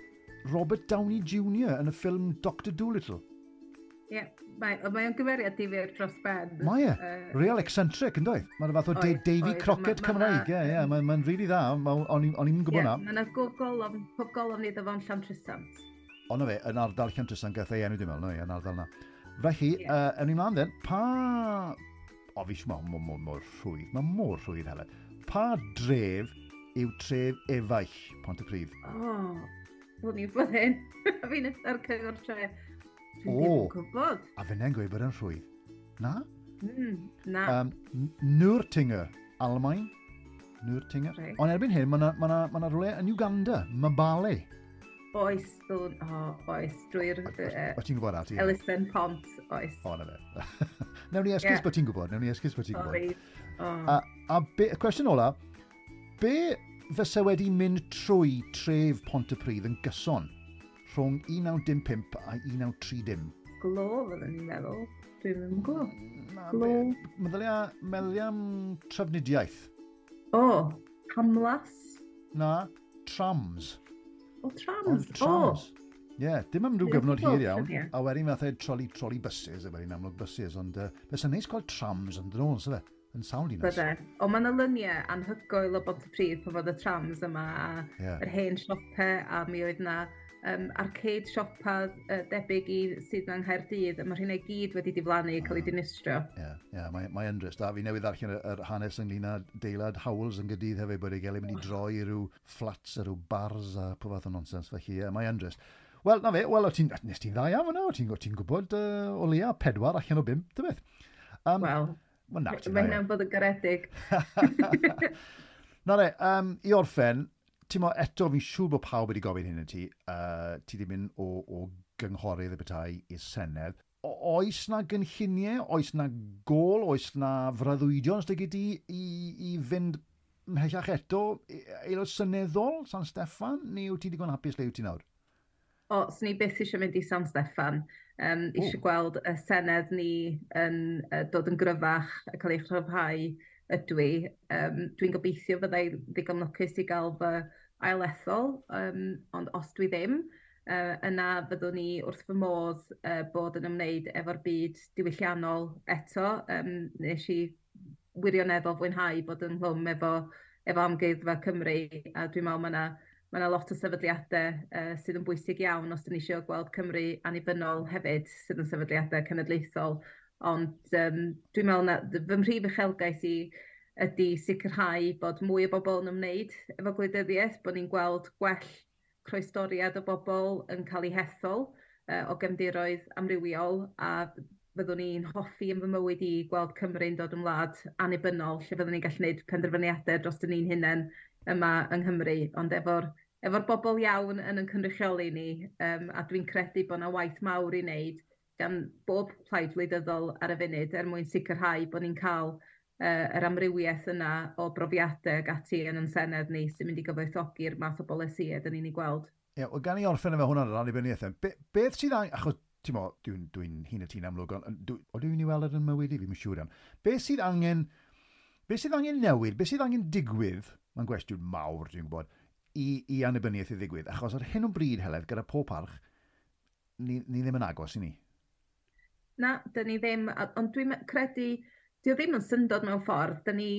Robert Downey Junior yn y ffilm Doctor Dolittle. Ie, yeah, mae, mae o'n gymeriad difyr dros ben. Mae e. Uh, Real eccentric, yn doedd? Mae'n fath o oedd, Davy oedd, Crockett ma, Cymraeg. Ie, ie, mae'n ma really dda. O'n i'n gwybod yeah, na. Mae yna gofgolofn, gofgolofn iddo fo'n Llantrisant. Ond fe, yn ardal Llantrisant gath ei enw, dwi'n meddwl, no, yn ardal na. Felly, yeah. uh, ewn ni mlaen then, pa... O, fi siŵr, mae mor, mor rhwydd, mae mor rhwydd, Helen. Pa dref yw tref efaill Pontypridd? O, oh, ddwn i'n bod hyn. Fi'n ar cyngor tre. Dwi ddim yn gwybod. A fi'n gweud bod yn rhwydd. Na? Mm, na. Um, Nürtinger, Almain. Nürtinger. Right. Ond erbyn hyn, mae yna ma ma ma rhywle yn Uganda, Mbale. Oes, ddwn, oh, oes, drwy'r uh, O ti'n gwybod ati? Elusen Pont, oes. O, na fe. Newn ni esgus yeah. bod ti'n gwybod, newn ni esgus bod ti'n gwybod. Oh. A, a be, y cwestiwn ola, be fysa wedi mynd trwy tref Pontypridd yn gyson rhwng un naw dim pump a un naw tri dim? Glo, fyddwn ni'n meddwl. Dwi'n ddim yn gwybod. Glo. Meddylia, meddylia am trafnidiaeth. O, oh, Camlas? Na, trams. O, trams. O, trams. Ie, yeah, dim am rhyw gyfnod hir iawn. A wedyn fath e trolley, trolley buses, a wedyn amlwg buses, ond uh, fysa'n neis gweld trams yn dyn nhw, fe? Yn sound i nes. Bydde. Ond mae yna lyniau anhygoel o Bontypridd pan fod y trams yma a yeah. yr hen siopau, a mi oedd yna um, arcade siopa uh, debyg i sydd yng Nghaerdydd, a mae rheina i gyd wedi diflannu, cael ei dinistrio. Ie, yeah, yeah, mae, mae yn drist. A fi newydd ddarllen yr, yr hanes ynglyn â deilad Howells yn Gaerdydd hefyd, bod ei gael ei mynd i droi i ryw flats a rhyw bars a pob fath o nonsens. Felly, yeah, mae yn drist. Wel, na fe, wel, o ti'n, nes ti'n dda iawn yna, o ti'n ti gwybod uh, o leia pedwar allan o bump, dy beth. Um, Wel, well, na, mae hynna'n bod yn garedig. Na re, um, i orffen, ti'n mo, eto fi'n siŵr bod pawb wedi gofyn hyn i ti, uh, ti wedi mynd o, o gynghorydd y bethau i'r Senedd. O, oes na gynlluniau, oes na gol, oes na freuddwydion os di i, i fynd mhellach eto, aelod seneddol, San Steffan, neu wyt ti digon hapus le wyt ti nawr? O, swn i byth eisiau mynd i San Steffan. Um, eisiau gweld y Senedd ni yn uh, dod yn gryfach a cael ei chryfhau ydw i. Um, dwi'n gobeithio fyddai ddigon lwcus i gael fy ailethol, um, ond os dwi ddim, uh, yna fyddwn ni wrth fy modd uh, bod yn ymwneud efo'r byd diwylliannol eto. Um, nes i wirioneddol fwynhau bod yn nghlwm efo, efo Amgueddfa Cymru, a dwi'n meddwl mae yna Mae yna lot o sefydliadau uh, sydd yn bwysig iawn os dyn ni eisiau gweld Cymru annibynnol hefyd, sydd yn sefydliadau cenedlaethol. Ond um, dwi'n meddwl na fy mhrif uchelgais i ydy sicrhau bod mwy o bobl yn ymwneud efo gwleidyddiaeth, bod ni'n gweld gwell croestoriad o bobl yn cael eu hethol uh, o gefndiroedd amrywiol, a fyddwn ni'n hoffi yn fy mywyd i gweld Cymru'n dod yn wlad annibynnol, lle fyddwn ni'n gallu gwneud penderfyniadau dros ni'n hunain yma yng Nghymru, ond efo'r efo'r bobl iawn yn yn cynrychioli ni, um, a dwi'n credu bod yna waith mawr i wneud gan bob plaid wleidyddol ar y funud er mwyn sicrhau bod ni'n cael uh, yr amrywiaeth yna o brofiadau ac ati yn yn Senedd ni sy'n mynd i gyfoethogi'r math o bolisïau dyn ni'n ei gweld. Ie, yeah, wel, gan i orffen efo hwnna'n yr annibyniaeth. Be, beth sydd angen, achos ti'n mo, dwi'n dwi hŷn na ti'n amlwg, ond o dwi'n i weld yn mywyd i, fi'n siŵr iawn. Beth sydd angen, beth sydd angen newid, beth sydd angen digwydd, mae'n gwestiwn mawr, dwi'n gwybod, i, i annibyniaeth i ddigwydd, achos ar hyn o bryd, Heledd, gyda pob parch, ni, ni ddim yn agos i ni. Na, dyn ni ddim, ond dwi'n credu, dio ddim yn syndod mewn ffordd, dyn ni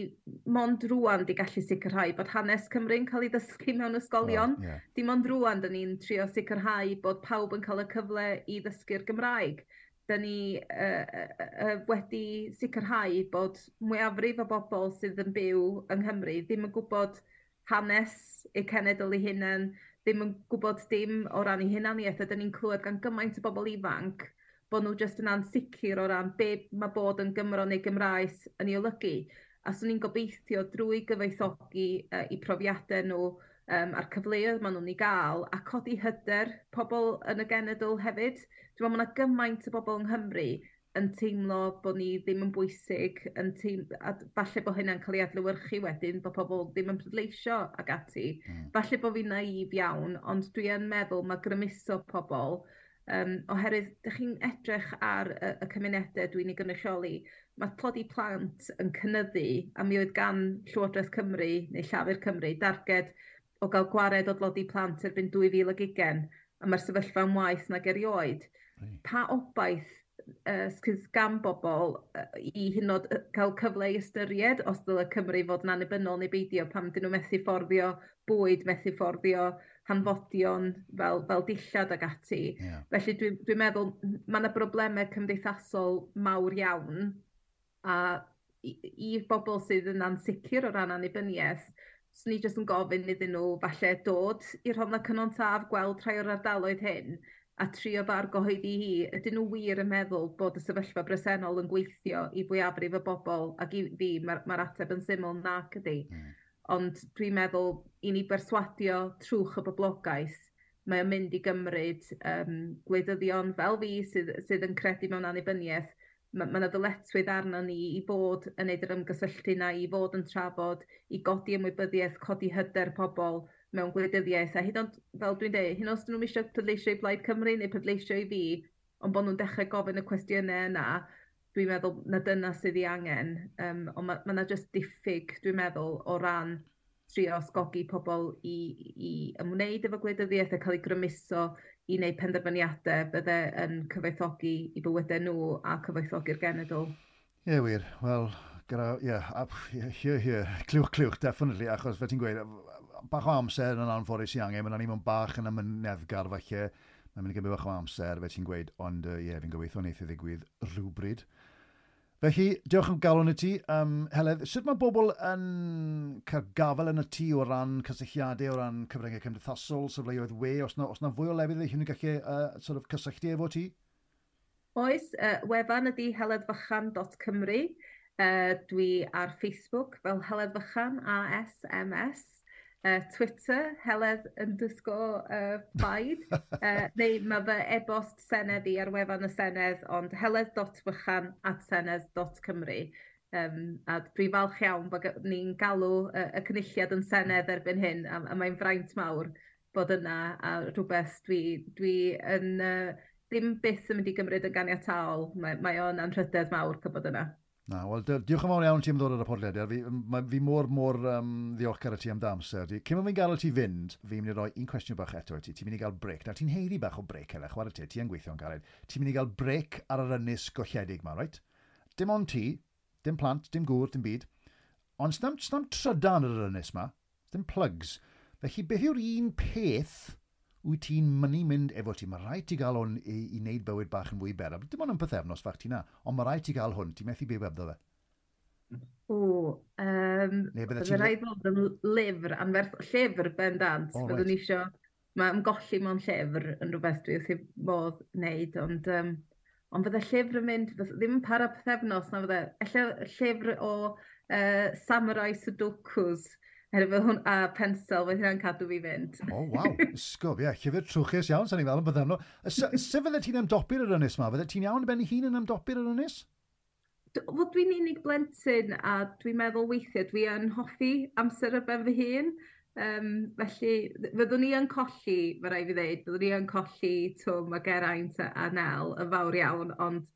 mond rŵan di gallu sicrhau bod hanes Cymru'n cael ei ddysgu mewn ysgolion. Well, yeah. Dim ond rŵan dyn ni'n trio sicrhau bod pawb yn cael y cyfle i ddysgu'r Gymraeg. Dyn ni uh, uh, wedi sicrhau bod mwyafrif o bobl sydd yn byw yng Nghymru ddim yn gwybod hanes eu cenedl eu hunain, ddim yn gwybod dim o ran eu hunaniaeth, a dyn ni'n clywed gan gymaint o bobl ifanc bod nhw jyst yn ansicr o ran be mae bod yn Gymro neu Gymraes yn ei olygu. A swn i'n gobeithio drwy gyfoethogi uh, eu profiadau nhw um, a'r cyfleoedd maen nhw'n ei gael, a codi hyder pobl yn y genedl hefyd. Dwi'n meddwl mae yna gymaint o bobl yng Nghymru yn teimlo bod ni ddim yn bwysig, yn teim, a falle bod hynna'n cael ei adlewyrchu wedyn, bod pobl ddim yn pleidleisio ac ati. Mm. Falle bod fi'n naif iawn, ond dwi yn meddwl mae grymuso pobl, um, oherwydd dych chi'n edrych ar y, y cymunedau dwi'n ei gynrychioli, mae tlodi plant yn cynyddu, a mi oedd gan Llywodraeth Cymru neu Llafur Cymru darged o gael gwared o dlodi plant erbyn dwy fil ag ugain, a mae'r sefyllfa'n waeth nag erioed. Mm. Pa obaith uh, sydd gan bobl uh, i hyd yn oed cael cyfle i ystyried os dyle Cymru fod yn annibynnol neu beidio, pam dyn nhw methu fforddio bwyd, methu fforddio hanfodion fel, fel dillad ac ati. Yeah. Felly dwi'n dwi meddwl mae yna broblemau cymdeithasol mawr iawn, a i, i bobl sydd yn ansicr o ran annibyniaeth, swn i jyst yn gofyn iddyn nhw falle dod i'r Rhondda Cynon Taf, gweld rhai o'r ardaloedd hyn, a trio bargyhoeddi hi, ydyn nhw wir yn meddwl bod y sefyllfa bresennol yn gweithio i fwyafrif y bobl, ac i fi mae'r ma ateb yn syml nac ydy. Mm. Ond dwi'n meddwl i ni berswadio trwch y boblogaeth, mae o'n mynd i gymryd um, gwleidyddion fel fi sydd, sydd yn credu mewn annibyniaeth. Mae yna ddyletswydd arno ni i fod yn neud yr ymgysylltu na, i fod yn trafod, i godi ymwybyddiaeth, codi hyder pobl mewn gwleidyddiaeth. A hyd yn oed, fel dwi'n dweud, hyd yn oed os dyn nhw'n eisiau pleidleisio i Blaid Cymru neu pleidleisio i fi, ond bod nhw'n dechrau gofyn y cwestiynau yna, dwi'n meddwl na dyna sydd ei angen. Um, ond mae yna jyst diffyg, dwi'n meddwl, o ran trio ysgogi pobl i, i ymwneud efo gwleidyddiaeth a cael eu grymuso i wneud penderfyniadau bydde yn cyfoethogi i bywydau nhw a cyfoethogi'r genedl. Ie, yeah, wir. Wel, gyda, ie, yeah, here, here, clywch, clywch, definitely, achos fe ti'n gweud, bach o amser yn anffodus i angen, mae'n ni mewn bach yn amyneddgar falle, mae'n mynd i gymryd bach o amser, fe ti'n gweud, ond ie, yeah, fi'n gobeithio wneith i ddigwydd rhywbryd. Felly, diolch am galon i ti. Um, Heledd, sut mae bobl yn cael gafael yn y tŷ o ran cysylltiadau, o ran cyfryngau cymdeithasol, safleoedd we, os na, os na fwy o lefydd eich nhw'n gallu uh, sort of cysylltu efo ti? Oes, uh, wefan ydy heledd fychan dot cymru. Uh, dwi ar Facebook fel Heledd Fychan, A S M S. Uh, Twitter, Heledd underscore uh, Plaid. Uh, neu mae fy e-bost Senedd i ar wefan y Senedd, ond heledd dot fychan at senedd dot cymru. Um, a dwi falch iawn bod ni'n galw uh, y cynulliad yn Senedd erbyn hyn, a, a mae'n fraint mawr bod yna, a rhywbeth dwi, dwi yn, uh, ddim byth yn mynd i gymryd yn ganiataol. Mae, mae o'n anrhydedd mawr cael bod yna. Na, wel, diolch yn fawr iawn ti am ddod ar y podlediad. Fi, ma, fi mor, mor um, ddiolchgar i ti am dy amser. Di. Cyn bod fi'n gadael ti fynd, fi'n mynd i roi un cwestiwn bach eto i ti. Ti'n mynd i gael break. Nawr, ti'n haeddu bach o break, Heledd, chwarae te, ti yn gweithio'n galed. Ti'n mynd i gael break ar yr ynys golledig ma, right? Dim ond ti, dim plant, dim gŵr, dim byd. Ond snam, snam trydan ar yr ynys ma, dim plugs. Felly, beth yw'r un peth wyt ti'n mynnu mynd efo ti? Mae rhaid ti gael hwn i, i wneud bywyd bach yn fwy ber. Dim ond yn pythefnos fach ti na, ond mae rhaid ti gael hwn. Ti'n methu byw hebddo fe. O, um, Neu bydde ti'n... rhaid bod yn lyfr, anferth, llyfr bendant. Oh, right. Byddwn isio, mae ymgolli mewn llyfr yn rhywbeth dwi wrth i modd wneud, ond, um, ond fydde llyfr yn mynd, ddim yn para pythefnos, na fydde, ella llyfr o uh, Samurai Sudokus, Herwydd hwn, a pensel, fydd hynna'n cadw fi fynd. O, oh, waw, ysgob, ie. Llyfr trwchus iawn, sa'n i'n fel yn byddem. Sut fydde ti'n ymdopi'r yr ynys ma? Fydde ti'n iawn ben ei hun yn ymdopi'r yr ynys? Wel, dwi'n unig blentyn a dwi'n meddwl weithiau dwi yn hoffi amser ar ben fy hun. Um, felly, fyddwn ni yn colli, mae rhaid fi ddeud, fyddwn ni yn colli Twm a Geraint a, a Nel yn fawr iawn, ond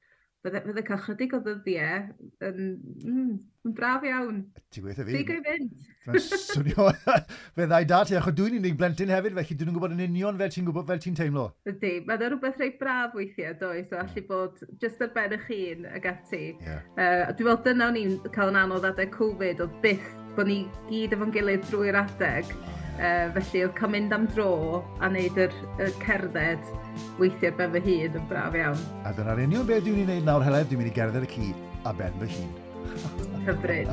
fydde, fydde cael chydig o ddyddiau yn, mm, yn braf iawn. Ti'n gweithio fi? Digon i fynd. Mae'n swnio fe ddau da ti, achos dwi'n unig blentyn hefyd, felly dwi'n gwybod yn union fel ti'n gwybod fel ti'n teimlo. Ydy, mae'n rhywbeth reit braf weithiau, does, o allu bod jyst ar ben eich hun ag ati. Yeah. Uh, dwi'n meddwl dyna o'n i'n cael yn anodd adeg Covid, oedd byth bod ni gyd efo'n gilydd drwy'r adeg. Uh, felly oedd cael mynd am dro a wneud yr, yr cerdded weithiau ar ben fy hun yn braf iawn. A dyna'r union beth dwi'n ei wneud nawr, Heledd, dwi'n mynd i gerdded y ci a ben fy hun. Hyfryd.